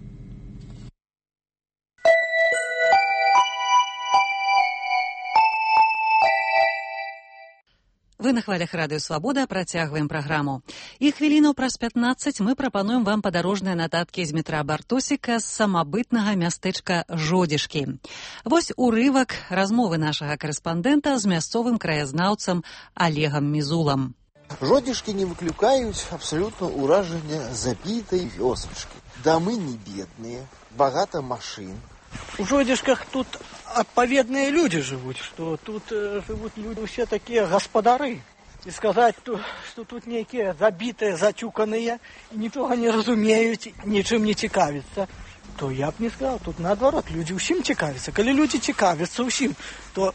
Вы на хвалях радыё «Свабода», працягваем праграму. І хвілінаў праз 15 мы прапануем вам падарожныя нататкі з метра Бартосіка з самабытнага мястэчка Жодзішкі. Вось урывак размовы нашага карэспандэнта з мясцовым краязнаўцам Олегам Мізулам. Жодзішкі не выклікаюць абсалютна ўражання забітай вёсачкі. Дамы не бедныя, багата машын. У Жодзішках тут адпаведныя людзі жывуць, што тут жывуць людзі ўсе такія гаспадары. і сказаць, што тут нейкія забітыя, зацюканыя, нічога не разумеюць, нічым не цікавяцца, то я б не сказаў. Тут наадварот, людзі ўсім цікавяцца. Калі людзі цікавяцца ўсім, то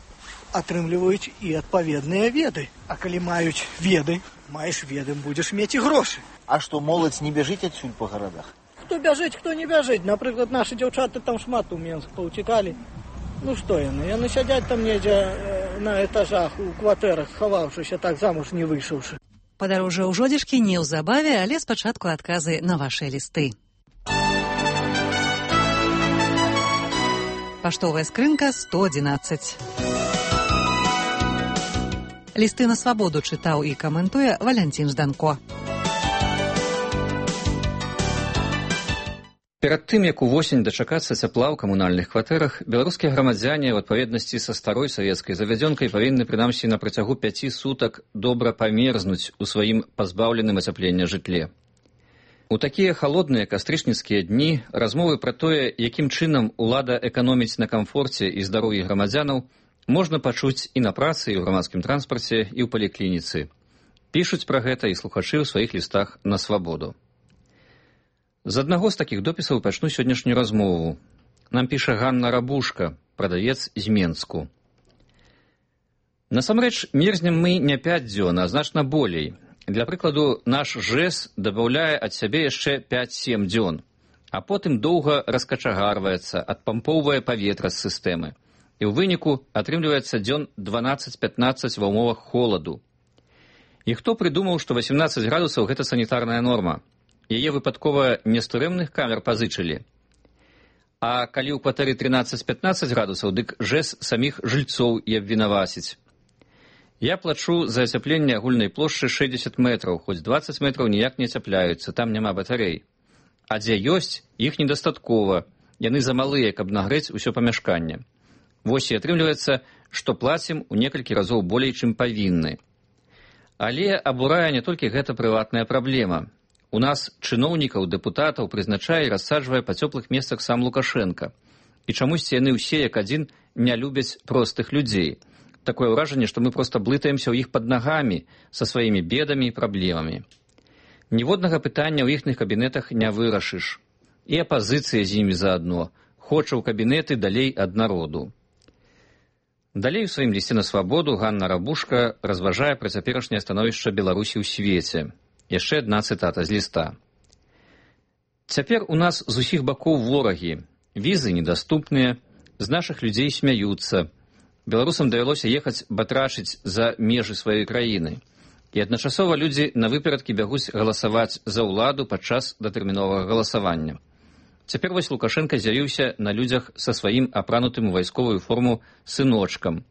атрымліваюць і адпаведныя веды. А калі маюць веды, маеш веды, будзеш мець і грошы. А што, моладзь не бяжыць адсюль па гарадах? Хто бяжыць, хто не бяжыць. Напрыклад, нашы дзяўчаты там шмат у Менск паўцікалі. Ну што яны? Яны сядзяць там недзе на этажах, у кватэрах, схаваўшыся, так замуж не выйшаўшы. Падарожжа ў Жодзішкі неўзабаве, але спачатку адказы на вашыя лісты. Паштовая скрынка 111. Лісты на свабоду чытаў і каментуе Валянцін Жданко. Перад тым, як увосень дачакацца цяпла ў камунальных кватэрах, беларускія грамадзяне ў адпаведнасці са старой савецкай завядзёнкай павінны прынамсі на працягу 5 сутак добра памерзнуць у сваім пазбаўленым ацяплення жытле. У такія халодныя кастрычніцкія дні размовы пра тое, якім чынам улада эканоміць на камфорце і здароўі грамадзянаў, можна пачуць і на працы, і ў грамадскім транспарце, і ў паліклініцы. Пішуць пра гэта і слухачы ў сваіх лістах на свабоду. З аднаго з такіх допісаў пачну сённяшнюю размову. Нам піша Ганна Рабушка, прадавец з Менску. Насамрэч, мерзнем мы не 5 дзён, а значна болей. Для прыкладу, наш ЖЭС дабаўляе ад сябе яшчэ 5-7 дзён, а потым доўга раскачагарваецца, адпампоўвае паветра з сістэмы. І ў выніку атрымліваецца дзён 12-15 ва ўмовах холаду. І хто прыдумаў, што 18 градусаў – гэта санітарная норма? Яе выпадкова не з турэмных камер пазычылі. А калі ў кватэры 13-15 градусаў, дык ЖЭС саміх жыльцоў і абвінаваціць. Я плачу за ацяпленне агульнай плошчы 60 метраў, хоць 20 метраў ніяк не ацяпляюцца, там няма батарэй. А дзе ёсць, іх недастаткова, яны замалыя, каб нагрэць усё памяшканне. Вось і атрымліваецца, што плацім у некалькі разоў болей, чым павінны. Але абурае не толькі гэта прыватная праблема. У нас чыноўнікаў, дэпутатаў прызначае і рассаджвае па цёплых месцах сам Лукашенка. І чамусьці яны ўсе, як адзін, не любяць простых людзей. Такое ўражанне, што мы проста блытаемся ў іх пад нагамі са сваімі бедамі і праблемамі. Ніводнага пытання ў іхных кабінетах не вырашыш. І апазіцыя з імі заадно. Хоча ў кабінеты далей ад народу. Далей у сваім лісце на свабоду Ганна Рабушка разважае пра цяперашняе становішча Беларусі ў свеце. Яшчэ адна цытата з ліста. Цяпер у нас з усіх бакоў ворагі. Візы недаступныя, з нашых людзей смяюцца. Беларусам давялося ехаць батрачыць за межы сваёй краіны. І адначасова людзі на выперадкі бягуць галасаваць за ўладу падчас датэрміновага галасавання. Цяпер вось Лукашенка з'явіўся на людзях са сваім апранутым у вайсковую форму сыночкам.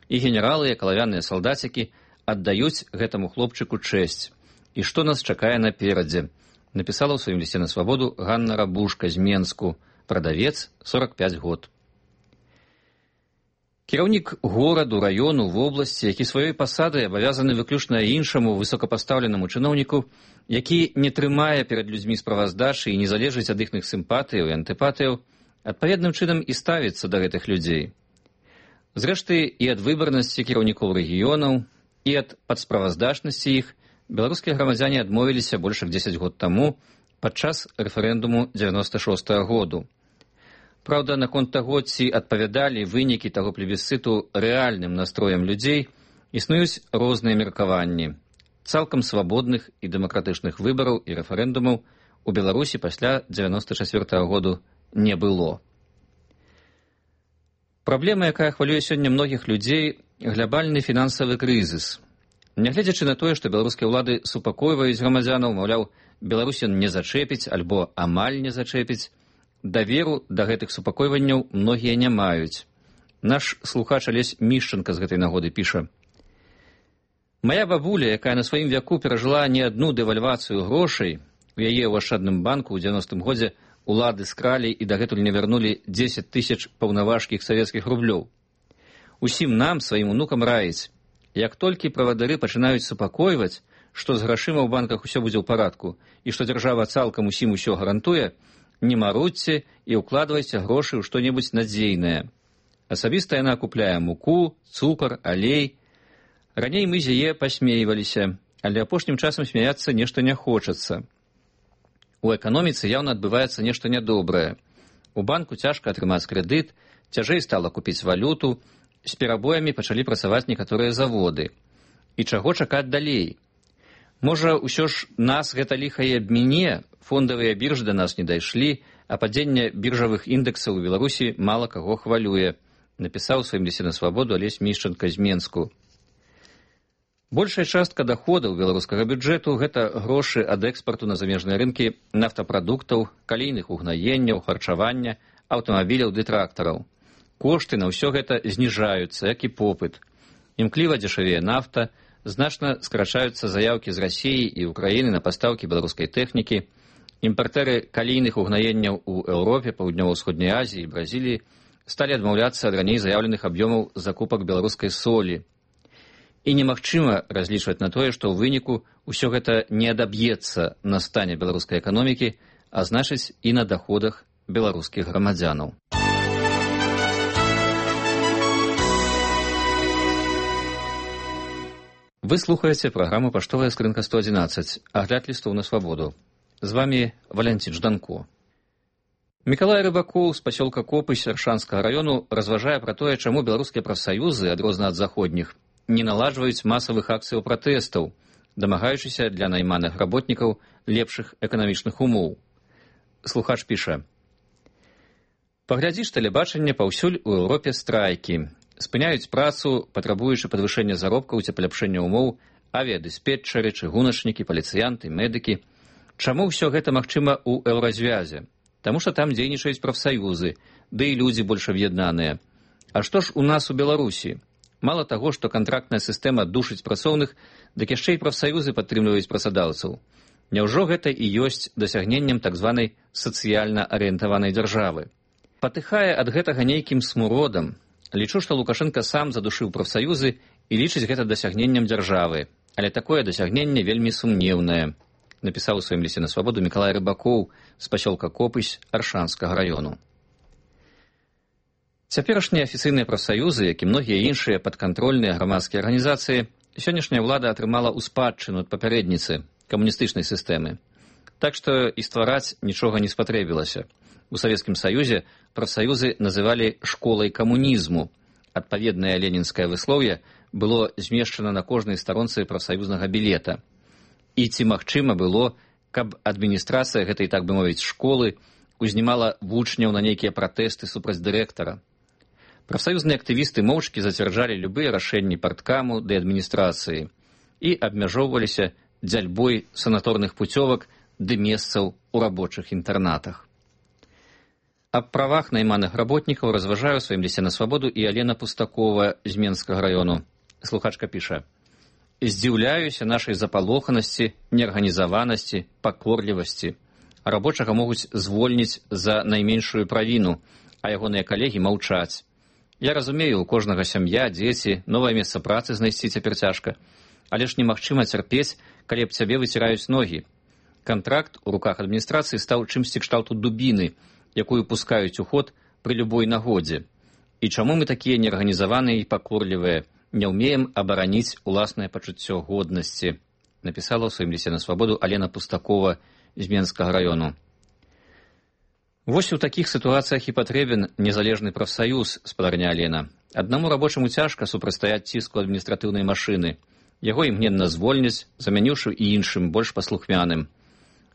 І генералы, як алавяныя салдацікі, аддаюць гэтаму хлопчыку чэсць. І што нас чакае наперадзе? Напісала ў сваім лісце на свабоду Ганна Рабушка з Менску, прадавец, 45 год. Кіраўнік гораду, раёну, вобласці, які сваёй пасадай абавязаны выключна іншаму высокапастаўленаму чыноўніку, які не трымае перад людзьмі справаздачы і не залежыць ад іхных сімпатыяў і антыпатыяў, адпаведным чынам і ставіцца да гэтых людзей. Зрэшты, і ад выбарнасці кіраўнікоў рэгіёнаў, і ад падсправаздачнасці іх беларускія грамадзяне адмовіліся больш як 10 год таму падчас рэферэндуму 96-го году. Праўда, наконт таго, ці адпавядалі вынікі таго плебісцыту рэальным настроем людзей, існуюць розныя меркаванні. Цалкам свабодных і дэмакратычных выбараў і рэферэндумаў у Беларусі пасля 94-го году не было. Праблема, якая хвалюе сёння многіх людзей, глябальны фінансавы крызіс. Нягледзячы на тое, што беларускія ўлады супакойваюць грамадзянаў, маўляў, Беларусь не зачэпіць альбо амаль не зачэпіць, даверу да гэтых супакойванняў многія не маюць. Наш слухач Алесь Мішчанка з гэтай нагоды піша: «Мая бабуля, якая на сваім вяку перажыла не адну дэвальвацыю грошай, у яе ў ашчадным банку ў 90-м годзе улады скралі і дагэтуль не вярнулі 10 000 паўнаважкіх савецкіх рублёў. Усім нам, сваім унукам раіць, як толькі правадыры пачынаюць супакойваць, што з грашыма ў банках усё будзе ў парадку і што дзяржава цалкам усім усё гарантуе, не марудзьце і ўкладвайце грошы ў што-небудзь надзейнае. Асабіста яна купляе муку, цукар, алей, Раней мы з яе пасмейваліся, але апошнім часам смяяцца нешта не хочацца. У эканоміцы яўна адбываецца нешта нядобрае. У банку цяжка атрымаць крэдыт, цяжэй стала купіць валюту, з перабоямі пачалі працаваць некаторыя заводы. І чаго чакаць далей? Можа, усё ж нас гэта ліха і абміне, фондавыя біржы да нас не дайшлі, а падзенне біржавых індэксаў у Беларусі мала каго хвалюе, напісаў у сваім лісце на свабоду Алесь Мішчанка з Менску. Большая частка даходаў беларускага бюджэту – гэта грошы ад экспарту на замежныя рынкі нафтапрадуктаў, калійных угнаенняў, харчавання, аўтамабіляў ды трактараў. Кошты на ўсё гэта зніжаюцца, як і попыт. Імкліва дзешавее нафта, значна скрачаюцца заяўкі з Расіі і Украіны на пастаўкі беларускай тэхнікі. Імпартэры калійных угнаенняў у Еўропе, Паўднёва-ўсходняй Азіі і Бразіліі сталі адмаўляцца ад раней заяўленых аб'ёмаў закупак беларускай солі. І немагчыма разлічваць на тое, што ў выніку ўсё гэта не адаб'ецца на стане беларускай эканомікі, а значыць і на даходах беларускіх грамадзянаў. Вы слухаеце праграму «Паштовая скрынка 111», агляд лістоў на свабоду. З вами Валянцін Жданко. Мікалай Рыбакоў з пасёлка Копысь Аршанскага раёну разважае пра тое, чаму беларускія прафсаюзы, адрозна ад заходніх, не наладжваюць масавых акцыяў пратэстаў, дамагаючыся для найманых работнікаў лепшых эканамічных умоў. Слухач піша: «Паглядзіш тэлебачанне, паўсюль у Еўропе страйкі. Спыняюць працу, патрабуючы падвышэння заробкаў ці паляпшэння умоў, авіядыспетчары, чыгуначнікі, паліцыянты, медыкі. Чаму ўсё гэта магчыма ў Еўразвязе? Таму што там дзейнічаюць прафсаюзы, ды і людзі больш аб'яднаныя. А што ж у нас у Беларусі? Мала таго, што кантрактная сістэма душыць працоўных, дык яшчэ і прафсаюзы падтрымліваюць працадаўцаў. Няўжо гэта і ёсць дасягненнем так званай сацыяльна арыентаванай дзяржавы? Патыхае ад гэтага нейкім смуродам. Лічу, што Лукашенка сам задушыў прафсаюзы і лічыць гэта дасягненнем дзяржавы. Але такое дасягненне вельмі сумнеўнае», напісаў у сваім лісце на свабоду Мікалай Рыбакоў з пасёлка Копысь Аршанскага раёну. Цяперашнія афіцыйныя прафсаюзы, як і многія іншыя падкантрольныя грамадскія арганізацыі, сённяшняя ўлада атрымала ў спадчыну ад папярэдніцы камуністычнай сістэмы. Так што і ствараць нічога не спатрэбілася. У Савецкім Саюзе прафсаюзы называлі школай камунізму. Адпаведнае ленінскае выслоўе было змешчана на кожнай старонцы прафсаюзнага білета. І ці магчыма было, каб адміністрацыя гэтай, так бы мовіць, школы узнімала вучняў на нейкія пратэсты супраць дырэктара? Прафсаюзныя актывісты моўчкі зацвярджалі любыя рашэнні парткаму ды адміністрацыі і абмяжоўваліся дзяльбой санаторных пуцёвак ды месцаў у рабочых інтэрнатах. Аб правах найманых работнікаў разважае ў сваім лісце на свабоду і Алена Пустакова з Менскага раёну. Слухачка піша: «Здзіўляюся нашай запалоханасці, неарганізаванасці, пакорлівасці. Рабочага могуць звольніць за найменшую правіну, а ягоныя калегі маўчаць. Я разумею, у кожнага сям'я, дзеці, новае месца працы знайсці цяпер цяжка. Але ж немагчыма цярпець, калі аб цябе выціраюць ногі. Кантракт у руках адміністрацыі стаў чымсьці кшталту дубіны, якую пускаюць у ход пры любой нагодзе. І чаму мы такія неарганізаваныя і пакорлівыя, не ўмеем абараніць уласнае пачуццё годнасці», напісала ў сваім лісце на свабоду Алена Пустакова з Менскага раёну. Вось у такіх сітуацыях і патрэбен незалежны прафсаюз, спадарня Алена. Аднаму рабочаму цяжка супрацьстаяць ціску адміністратыўнай машыны. Яго імгненна звольняць, замяніўшы і іншым, больш паслухмяным.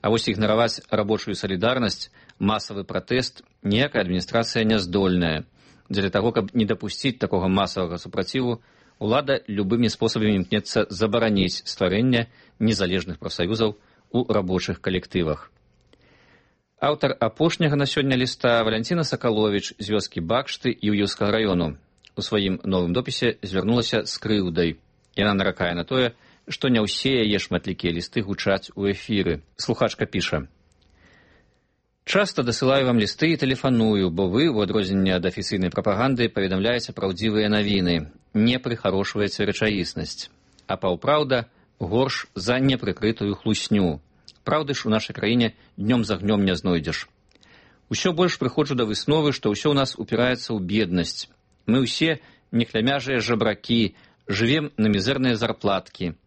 А вось ігнараваць рабочую салідарнасць, масавы пратэст ніякая адміністрацыя не здольная. Дзеля таго, каб не дапусціць такога масавага супраціву, улада любымі спосабамі імкнецца забараніць стварэнне незалежных прафсаюзаў у рабочых калектывах. Аўтар апошняга на сёння ліста Валянціна Сакаловіч з вёскі Бакшты Іўеўскага раёну у сваім новым допісе звярнулася з крыўдай. Яна наракае на тое, што не ўсе яе шматлікія лісты гучаць у эфіры. Слухачка піша: «Часта дасылаю вам лісты і тэлефаную, бо вы, у адрозненне ад афіцыйнай прапаганды, паведамляеце праўдзівыя навіны, не прыхарошваеце рэчаіснасць. А паўпраўда горш за непрыкрытую хлусню. Праўды ж у нашай краіне днём за гнём не знойдзеш. Усё больш прыходжу да высновы, што ўсё ў нас упіраецца ў беднасць. Мы ўсе нехлямяжыя жабракі, Жывем на мізэрныя зарплаткі.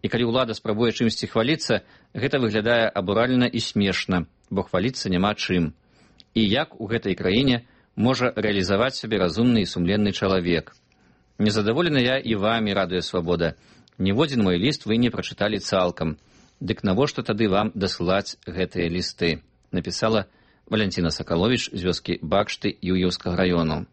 І калі ўлада спрабуе чымсьці хваліцца, гэта выглядае абуральна і смешна, бо хваліцца няма чым. І як у гэтай краіне можа рэалізаваць сябе разумны і сумленны чалавек? Незадаволены я і вамі, радыё Свабода. Ніводзін мой ліст вы не прачыталі цалкам. Дык навошта тады вам дасылаць гэтыя лісты? Напісала Валянціна Сакаловіч з вёскі Бакшты Юіўскага раёну.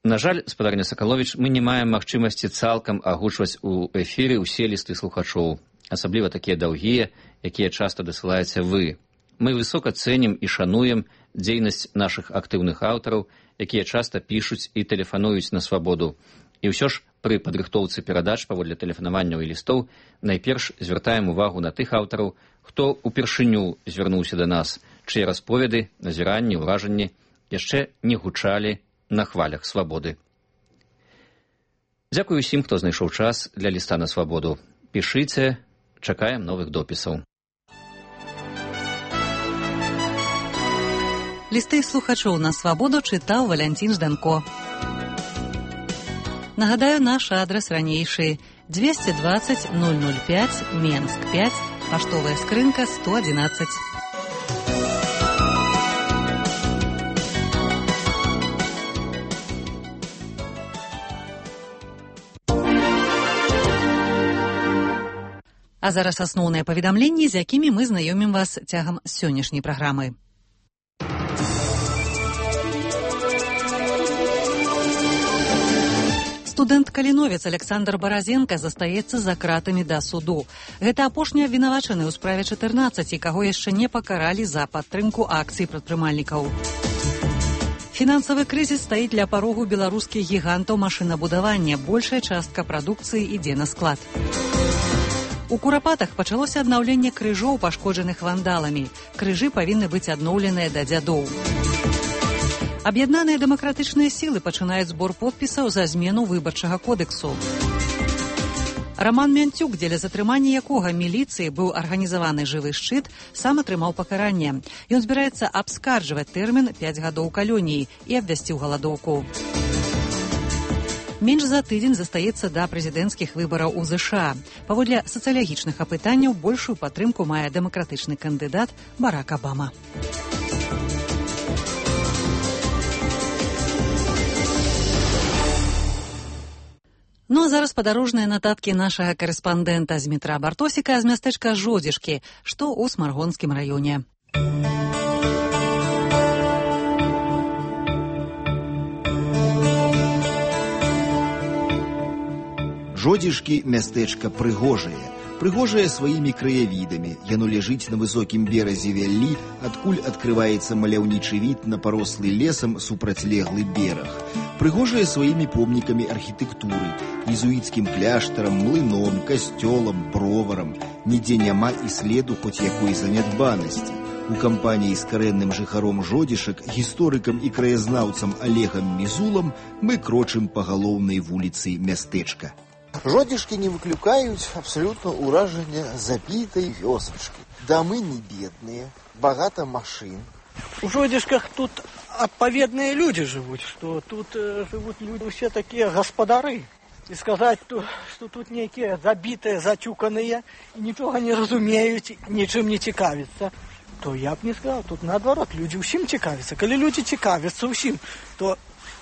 На жаль, спадарня Сакаловіч, мы не маем магчымасці цалкам агучваць у эфіры ўсе лісты слухачоў, асабліва такія даўгія, якія часта дасылаеце вы. Мы высока цэнім і шануем дзейнасць нашых актыўных аўтараў, якія часта пішуць і тэлефануюць на Свабоду. І ўсё ж пры падрыхтоўцы перадач паводле тэлефанаванняў і лістоў найперш звяртаем увагу на тых аўтараў, хто упершыню звярнуўся да нас, чые расповеды, назіранні, ўражанні яшчэ не гучалі на хвалях Свабоды. Дзякую ўсім, хто знайшоў час для ліста на Свабоду. Пішыце, чакаем новых допісаў. Лісты слухачоў на Свабоду чытаў Валянцін Жданко. Нагадаю, наш адрес ранейшы 220 005 Менск 5, паштовая скрынка 111. А зараз асноўныя паведамленні, з якімі мы знаёмім вас цягам сённяшняй праграмы. Студэнт-каліновец Александр Баразенка застаецца за кратамі да суду. Гэта апошні абвінавачаны ў справе 14, каго яшчэ не пакаралі за падтрымку акцый прадпрымальнікаў. Фінансавы крызіс стаіць ля парогу беларускіх гігантаў машынабудавання. Большая частка прадукцыі ідзе на склад. У Курапатах пачалося аднаўленне крыжоў, пашкоджаных вандаламі. Крыжы павінны быць адноўленыя да дзядоў. Аб'яднаныя дэмакратычныя сілы пачынаюць збор подпісаў за змену выбарчага кодэксу. Раман Мянцюк, дзеля затрымання якога міліцыі быў арганізаваны жывы шчыт, сам атрымаў пакаранне. Ён збіраецца абскарджваць тэрмін 5 гадоў калоніі і абвясціў галадоўку. Менш за тыдзень застаецца да прэзідэнцкіх выбараў у ЗША. Паводле сацыялагічных апытанняў большую падтрымку мае дэмакратычны кандыдат Барак Абама. Ну а зараз падарожныя нататкі нашага карэспандэнта з Дмітра Бартосіка з мястэчка Жодзішкі, што ў Смаргонскім раёне. Жодзішкі мястэчка прыгожае. Прыгожае сваімі краявідамі. Яно ляжыць на высокім беразе вяллі, адкуль адкрываецца маляўнічы від на парослы лесам супрацьлеглы бераг. Прыгожае сваімі помнікамі архітэктуры, езуіцкім кляштарам, млыном, касцёлам, броварам. Нідзе няма і следу хоць якой занядбанасці. У кампаніі з карэнным жыхаром Жодзішак, гісторыкам і краязнаўцам Олегам Мізулам мы крочым па галоўнай вуліцы мястэчка. Жодзішкі не выклікаюць абсалютна ўражання забітай вёсачкі. Дамы не бедныя, багата машын. У Жодзішках тут адпаведныя людзі жывуць, што тут жывуць людзі ўсе такія гаспадары. І сказаць, што тут нейкія забітыя, зацюканыя, і нічога не разумеюць, нічым не цікавяцца, то я б не сказаў, тут наадварот, людзі ўсім цікавяцца. Калі людзі цікавяцца ўсім, то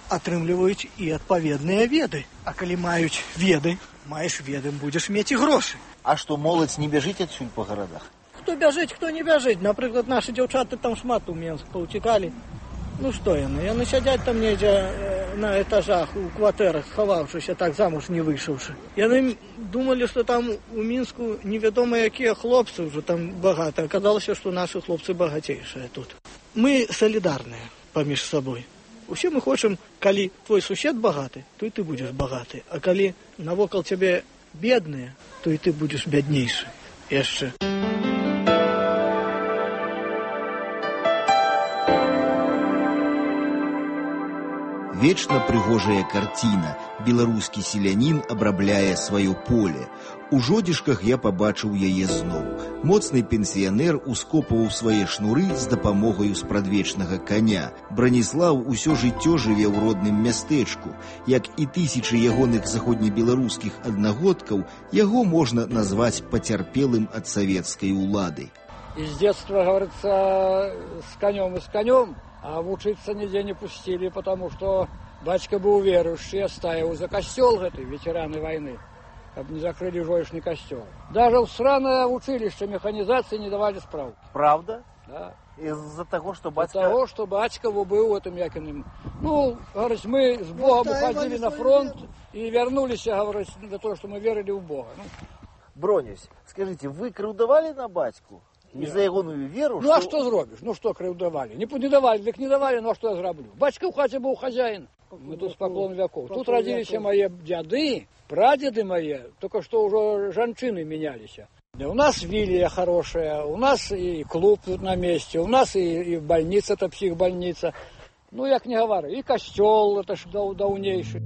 атрымліваюць і адпаведныя веды. А калі маюць веды, маеш веды, будзеш мець і грошы. А што, моладзь не бяжыць адсюль па гарадах? Хто бяжыць, хто не бяжыць. Напрыклад, нашы дзяўчаты там шмат у Менск паўцікалі. Ну што яны? Яны сядзяць там недзе на этажах, у кватэрах, схаваўшыся, так замуж не выйшаўшы. Яны думалі, што там у Мінску невядома якія хлопцы ўжо там багата. Аказалася, што нашы хлопцы багацейшыя тут. Мы салідарныя паміж сабой. Усе мы хочам, калі твой сусед багаты, то і ты будзеш багаты. А калі навокал цябе бедныя, то і ты будзеш бяднейшы. Яшчэ. вечна прыгожая карціна. Беларускі селянін абрабляе сваё поле. У Жодзішках я пабачыў яе зноў. Моцны пенсіянер ускопваў свае шнуры з дапамогаю спрадвечнага коня. Браніслаў усё жыццё жыве ў родным мястэчку. Як і тысячы ягоных заходнебеларускіх аднагодкаў, яго можна назваць пацярпелым ад савецкай улады. Из детства, говорится, с конем, а учиться нигде не пустили, потому что батька был верующий, стаивал за костел, ветераны войны, чтобы не закрыли жоечный костел. Даже в сраное училище механизации не давали справки. Правда? Да. Из-за того, что батька... Из-за того, что батька был этим якиным. Ну, говорит, мы с Богом уходили на фронт и вернулись, говорит, для того, что мы верили в Бога. Бронюсь, скажите, вы крыўдавали на батьку? І за ягоную веру... Ну, а что зробишь? Ну, что крыўдавали? Не давали, так не давали, ну, а что я зроблю? Батька в хате был хозяин. Мы тут с поклон веков. Тут родились мои дяды, прадеды мои, только что уже женщины менялись. Да, у нас вилья хорошая, у нас и клуб тут на месте, у нас и больница, это психбольница. Ну, як не говорю, и костел, это ж давнейший.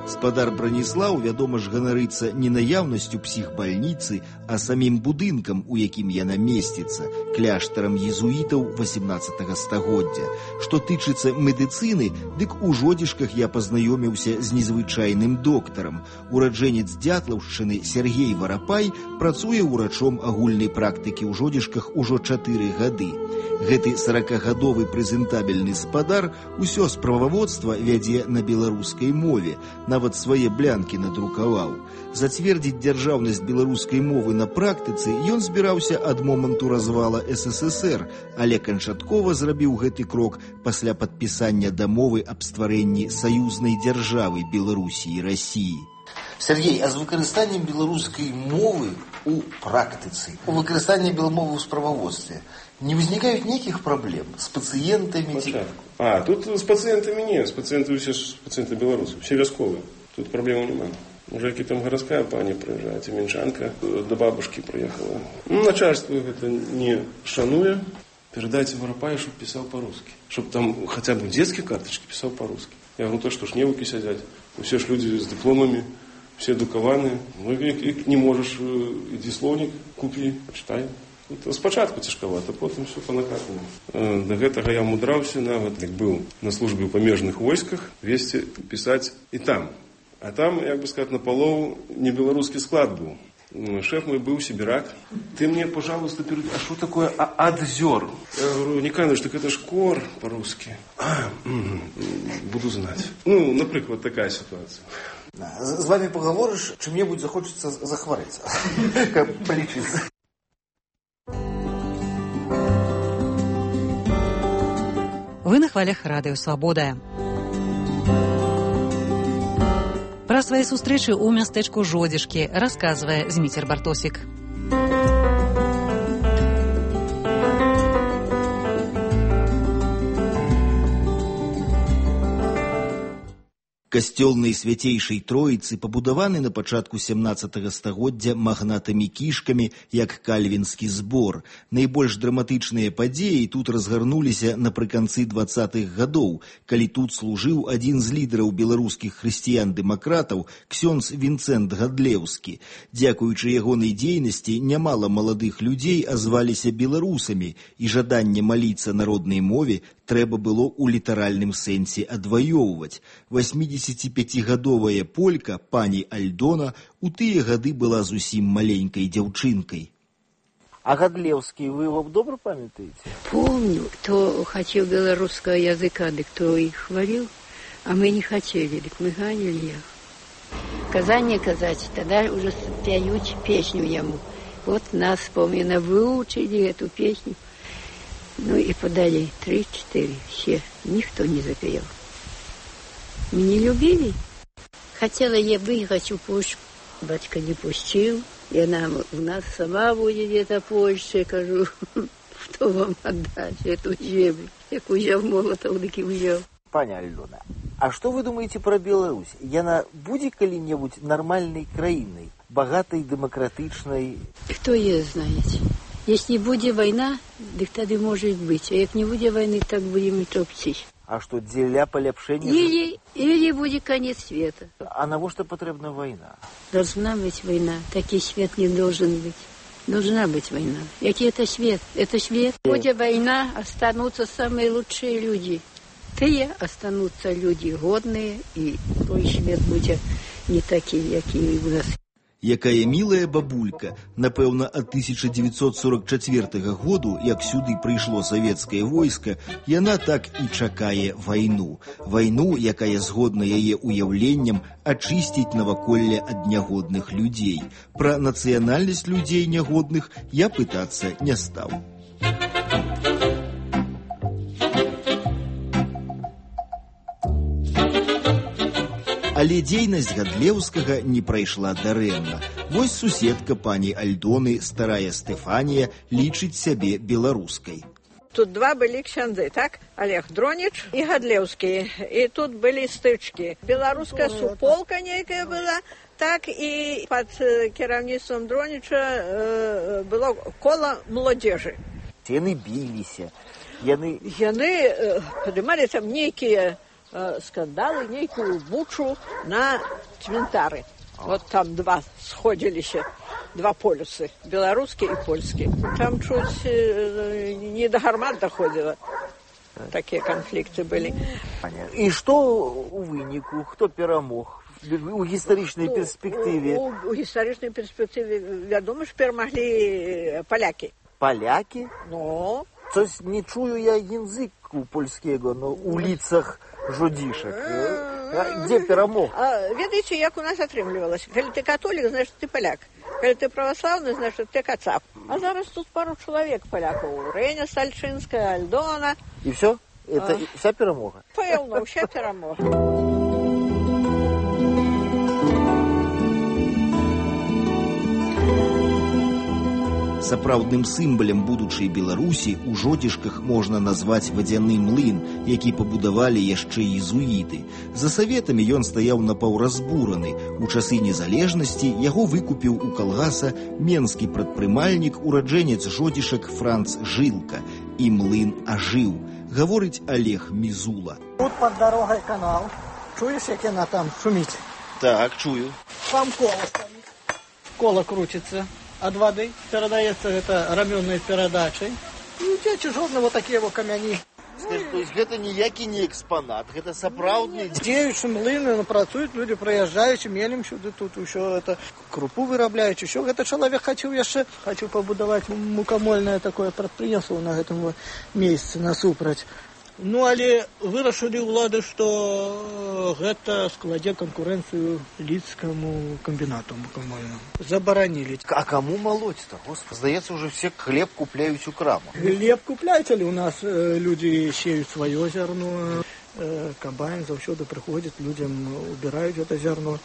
Гаспадар Браніслаў, вядома ж, ганарыцца не наяўнасцю псіхбальніцы, а самім будынкам, у якім яна месціцца, кляштарам езуітаў 18 стагоддзя. Што тычыцца медыцыны, дык у Жодзішках я пазнаёміўся з незвычайным доктарам. Ураджэнец Дятлаўшчыны Сергей Варапай працуе ўрачом агульнай практыкі ў Жодзішках ужо 4 гады. Гэты 40-гадовы прэзентабельны спадар усё справаводства вядзе на беларускай мове, нават свае блянкі надрукаваў. Зацвердзіць дзяржаўнасць беларускай мовы на практыцы ён збіраўся ад моманту развала СССР, але канчаткова зрабіў гэты крок пасля падпісання дамовы аб стварэнні саюзнай дзяржавы Беларусі і Расіі. Сергей, а з выкарыстаннем беларускай мовы у практыцы, у выкарыстанні беламовы ў справаводстве не возникают никаких проблем с пациентами? Тут с пациентами нет, с пациентами все пациенты белорусы, все вясковые, тут проблем нема. Уже какие там городская пані приезжает, Тименчанка до бабушки приехала. Начальство это не шануя, передайте Воропаю, чтобы писал по-русски, чтобы там хотя бы детские карточки писал по-русски. Я говорю, то что ж невуки сидят, все ж люди с дипломами, все дукаваны, ну и не можешь, иди словник купи, почитай. Спочатку цяжкавата, потым все па-накатанаму. Да гэтага я мудраўся, нават як быў на службе ў памежных войсках, весці пісаць і там. А там, як бы сказать, напалову не беларускі склад быў. Шеф мой был сибирак. Ты мне, пожалуйста, перейди. А что такое адзер? Я говорю, Никаныч, так это ж кор по-русски. Буду знать. Ну, например, такая ситуация. С вами поговоришь, чем-нибудь захочется захворать. Как полечиться. Вы на хвалях Радыё Свабода. Пра свае сустрэчы ў мястэчку Жодзішкі расказвае Зміцер Бартосік. Касцёл Найсвяцейшай Троіцы пабудаваны на пачатку 17 стагоддзя магнатамі-кішкамі, як кальвінскі збор. Найбольш драматычныя падзеі тут разгарнуліся напрыканцы 20-х гадоў, калі тут служыў адзін з лідараў беларускіх хрысціян-дэмакратаў, ксёндз Вінцэнт Гадлеўскі. Дзякуючы ягонай дзейнасці нямала маладых людзей азваліся беларусамі, і жаданне маліцца на роднай мове трэба было ў літаральным сэнсе адваёўваць. 85-гадовая полька, пані Альдона, у тыя гады была зусім маленькай дзяўчынкай. А Гадлеўскі, вы его добра памятаете? Помню, кто хотел белорусского языка, да кто их хвалил, а мы не хотели, так мы ганили их. Казание казать, тогда уже пяют песню ему. Вот нас, помню, выучили эту песню. Ну и подали 3-4, все, никто не запел. Мы не любили. Хотела я выехать в Польшу, батька не пустил. И она у нас сама будет где-то Польша, кажу, что вам отдать эту землю? Як узяв молотов, так и взял. Пані Альдона, а что вы думаете про Беларусь? Яна будзе калі-небудзь нормальной краиной, богатой, демократичной? Кто ее знает? Если будет война, так тогда может быть. А если не будет войны, так будем и топчись. А что, дзеля полепшения? Или будет конец света. А на что потребна война? Должна быть война. Такой свет не должен быть. Должна быть война. Який это свет? Это свет. Будет война, останутся самые лучшие люди. Те останутся люди годные, и той свет будет не такие, какие у нас. Якая милая бабулька, напэўна, ад 1944 году, як сюды прыйшло савецкае войска, яна так і чакае вайну. Вайну, якая згодна яе уяўленням ачысціць наваколле ад нягодных людзей. Пра нацыянальнасць людзей нягодных я пытацца не стаў. Але дзейнасць Гадлеўскага не прайшла дарэмна. Вось суседка пані Альдоны, старая Стэфанія, лічыць сябе беларускай. Тут два были ксяндзы, так? Олег Дронич и Гадлеўскі. И тут были стычки. Белорусская суполка некая была, так и под кіраўніцтвам Дронича было коло молодежи. Яны биліся. Яны поднимали там некие скандалы, некую бучу на цвинтары. Вот там два сходились, два полюсы, белорусский и польский. Там чуть не до гармат доходило. Такие конфликты были. И что у вынику? Кто перамог? У гістарычнай перспектыве? У гістарычнай перспектыве, вядома, ж перамаглі поляки. Поляки? Ну. То есть не чую я языку польского, но у лицах жодишек. Где перамог? Ведаеце, як у нас атрымлівалася. Калі ты католік, значит ты поляк. Калі ты православны, значит ты кацап. А зараз тут пару человек поляков. Реня Сальчинская, Альдона. И все? Это вся перамога? Пэўна, вся перамога. Сапраўдным сімвалам будучай Беларусі у Жодзішках можна назваць вадзяны млын, які пабудавалі яшчэ езуіты. За саветамі ён стаяў напаўразбураны. У часы незалежнасці яго выкупіў у калгаса менскі прадпрымальнік, ураджэнец Жодзішак Франц Жылка. І млын ажыў, гаворыць Олег Мізула. Тут под дорогой канал. Чуешь, як яна там шуміць? Так, чую. Там кола стоит. Кола крутится. От воды передается это раменной передачей. И течи жодного такие вот камяни. Скажи, то есть это ніякі не экспонат, это сапраўдны... Дзеючы млыны, працуюць люди, проезжаючи, мелем сюды, тут еще это крупу вырабляючи, еще это человек хочу побудовать мукамольное такое предприятие на этом месяце насупраць. Ну, але вырашылі ўлады, што гэта складзе канкурэнцыю лідскаму камбінату мукамольнаму. Забаранілі. А кому молоть-то? Господи, здаецца, уже все хлеб купляюць у крамах. Хлеб купляюць, але у нас люди сеют свое зерно. Комбайн заўсёды прыходзіць, людям убирают это зерно.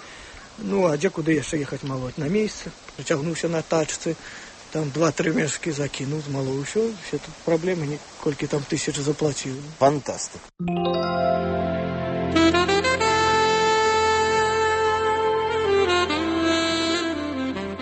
Ну, а дзе куды яшчэ ехаць молоть? На месяц. Прыцягнуўся на тачцы. Там 2-3 мешки закинул, змалоў, все тут проблемы, колькі там тысяч заплатил. Фантастик.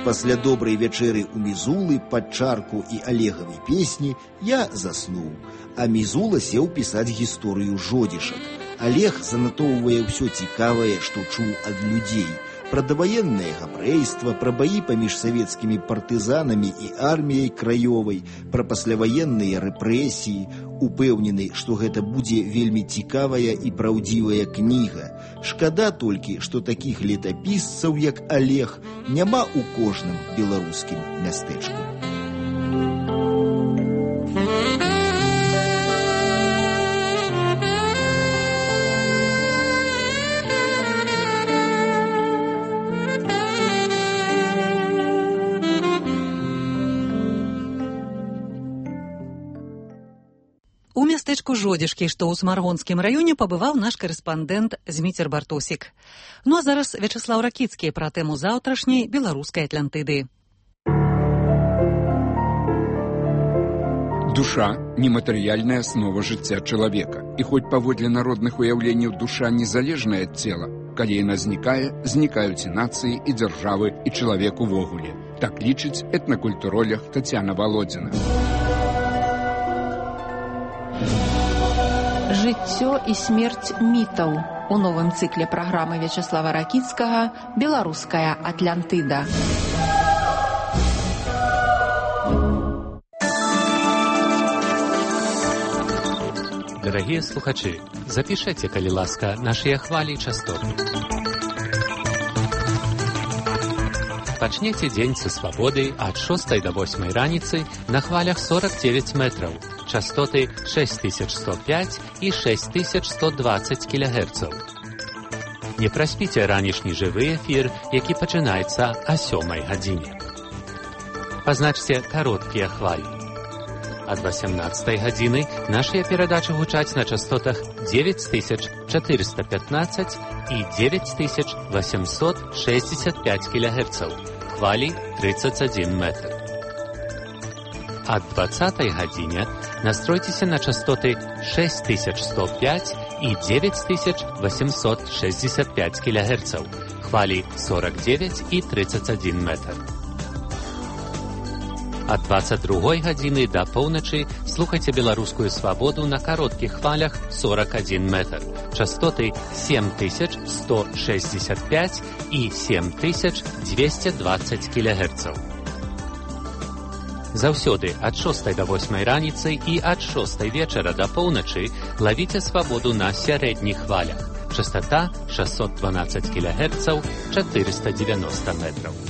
Пасля добрай вячэры у Мізулы пад чарку і Олегавай песні я заснуў, а Мізула сеў пісаць гісторыю Жодзішак. Олег занатоўвае ўсё цікавае, што чуў ад людзей. Пра даваеннае габрэйства, пра баі паміж савецкімі партызанамі і арміяй краёвай, пра пасляваенныя рэпрэсіі, упэўнены, што гэта будзе вельмі цікавая і праўдзівая кніга. Шкада толькі, што такіх летапісцаў, як Олег, няма ў кожным беларускім мястэчку. У мястэчку Жодзішкі, што ў Смаргонскім раёне, пабываў наш карэспандэнт Зміцер Бартосік. Ну а зараз Вячеслаў Ракіцкі пра тэму заўтрашняй беларускай Атлантыды. Душа – нематэрыяльная аснова жыцця чалавека. І хоць паводле народных уяўленняў душа незалежная ад цела, калі яна знікае, знікаюць і нацыі, і дзяржавы, і чалавек увогуле. Так лічыць этнакультуролог Тацяна Валодзіна. Жыццё і смерць мітаў у новым цыкле праграмы Вячеслава Ракіцкага «Беларуская Атлантыда». Дорогие слухачи, запишите, калі ласка, наши хвали и частоты. Пачнеце дзень са свабоды ад 6 до 8 раніцы на хвалях 49 метраў, частоты 6105 і 6120 кГц. Не праспіце ранішні жывы эфір, які пачынаецца о 7 гадзіне. Пазначце кароткія хвалі. Ад 18 гадзіны нашыя перадачы гучаць на частотах 9415 і 9865 кГц, хвалі 31 метр. Ад 20 гадзіне настройцеся на частоты 6105 і 9865 кГц, хвалі 49 і 31 метр. Ад 22 гадзіны да поўначы слухайце беларускую свабоду на кароткіх хвалях 41 метр, частоты 7165 і 7220 кГц. Заўсёды ад 6 до 8 раніцы і ад 6 вечара да поўначы лавіце свабоду на сярэдніх хвалях, частота 612 кГц, 490 метров.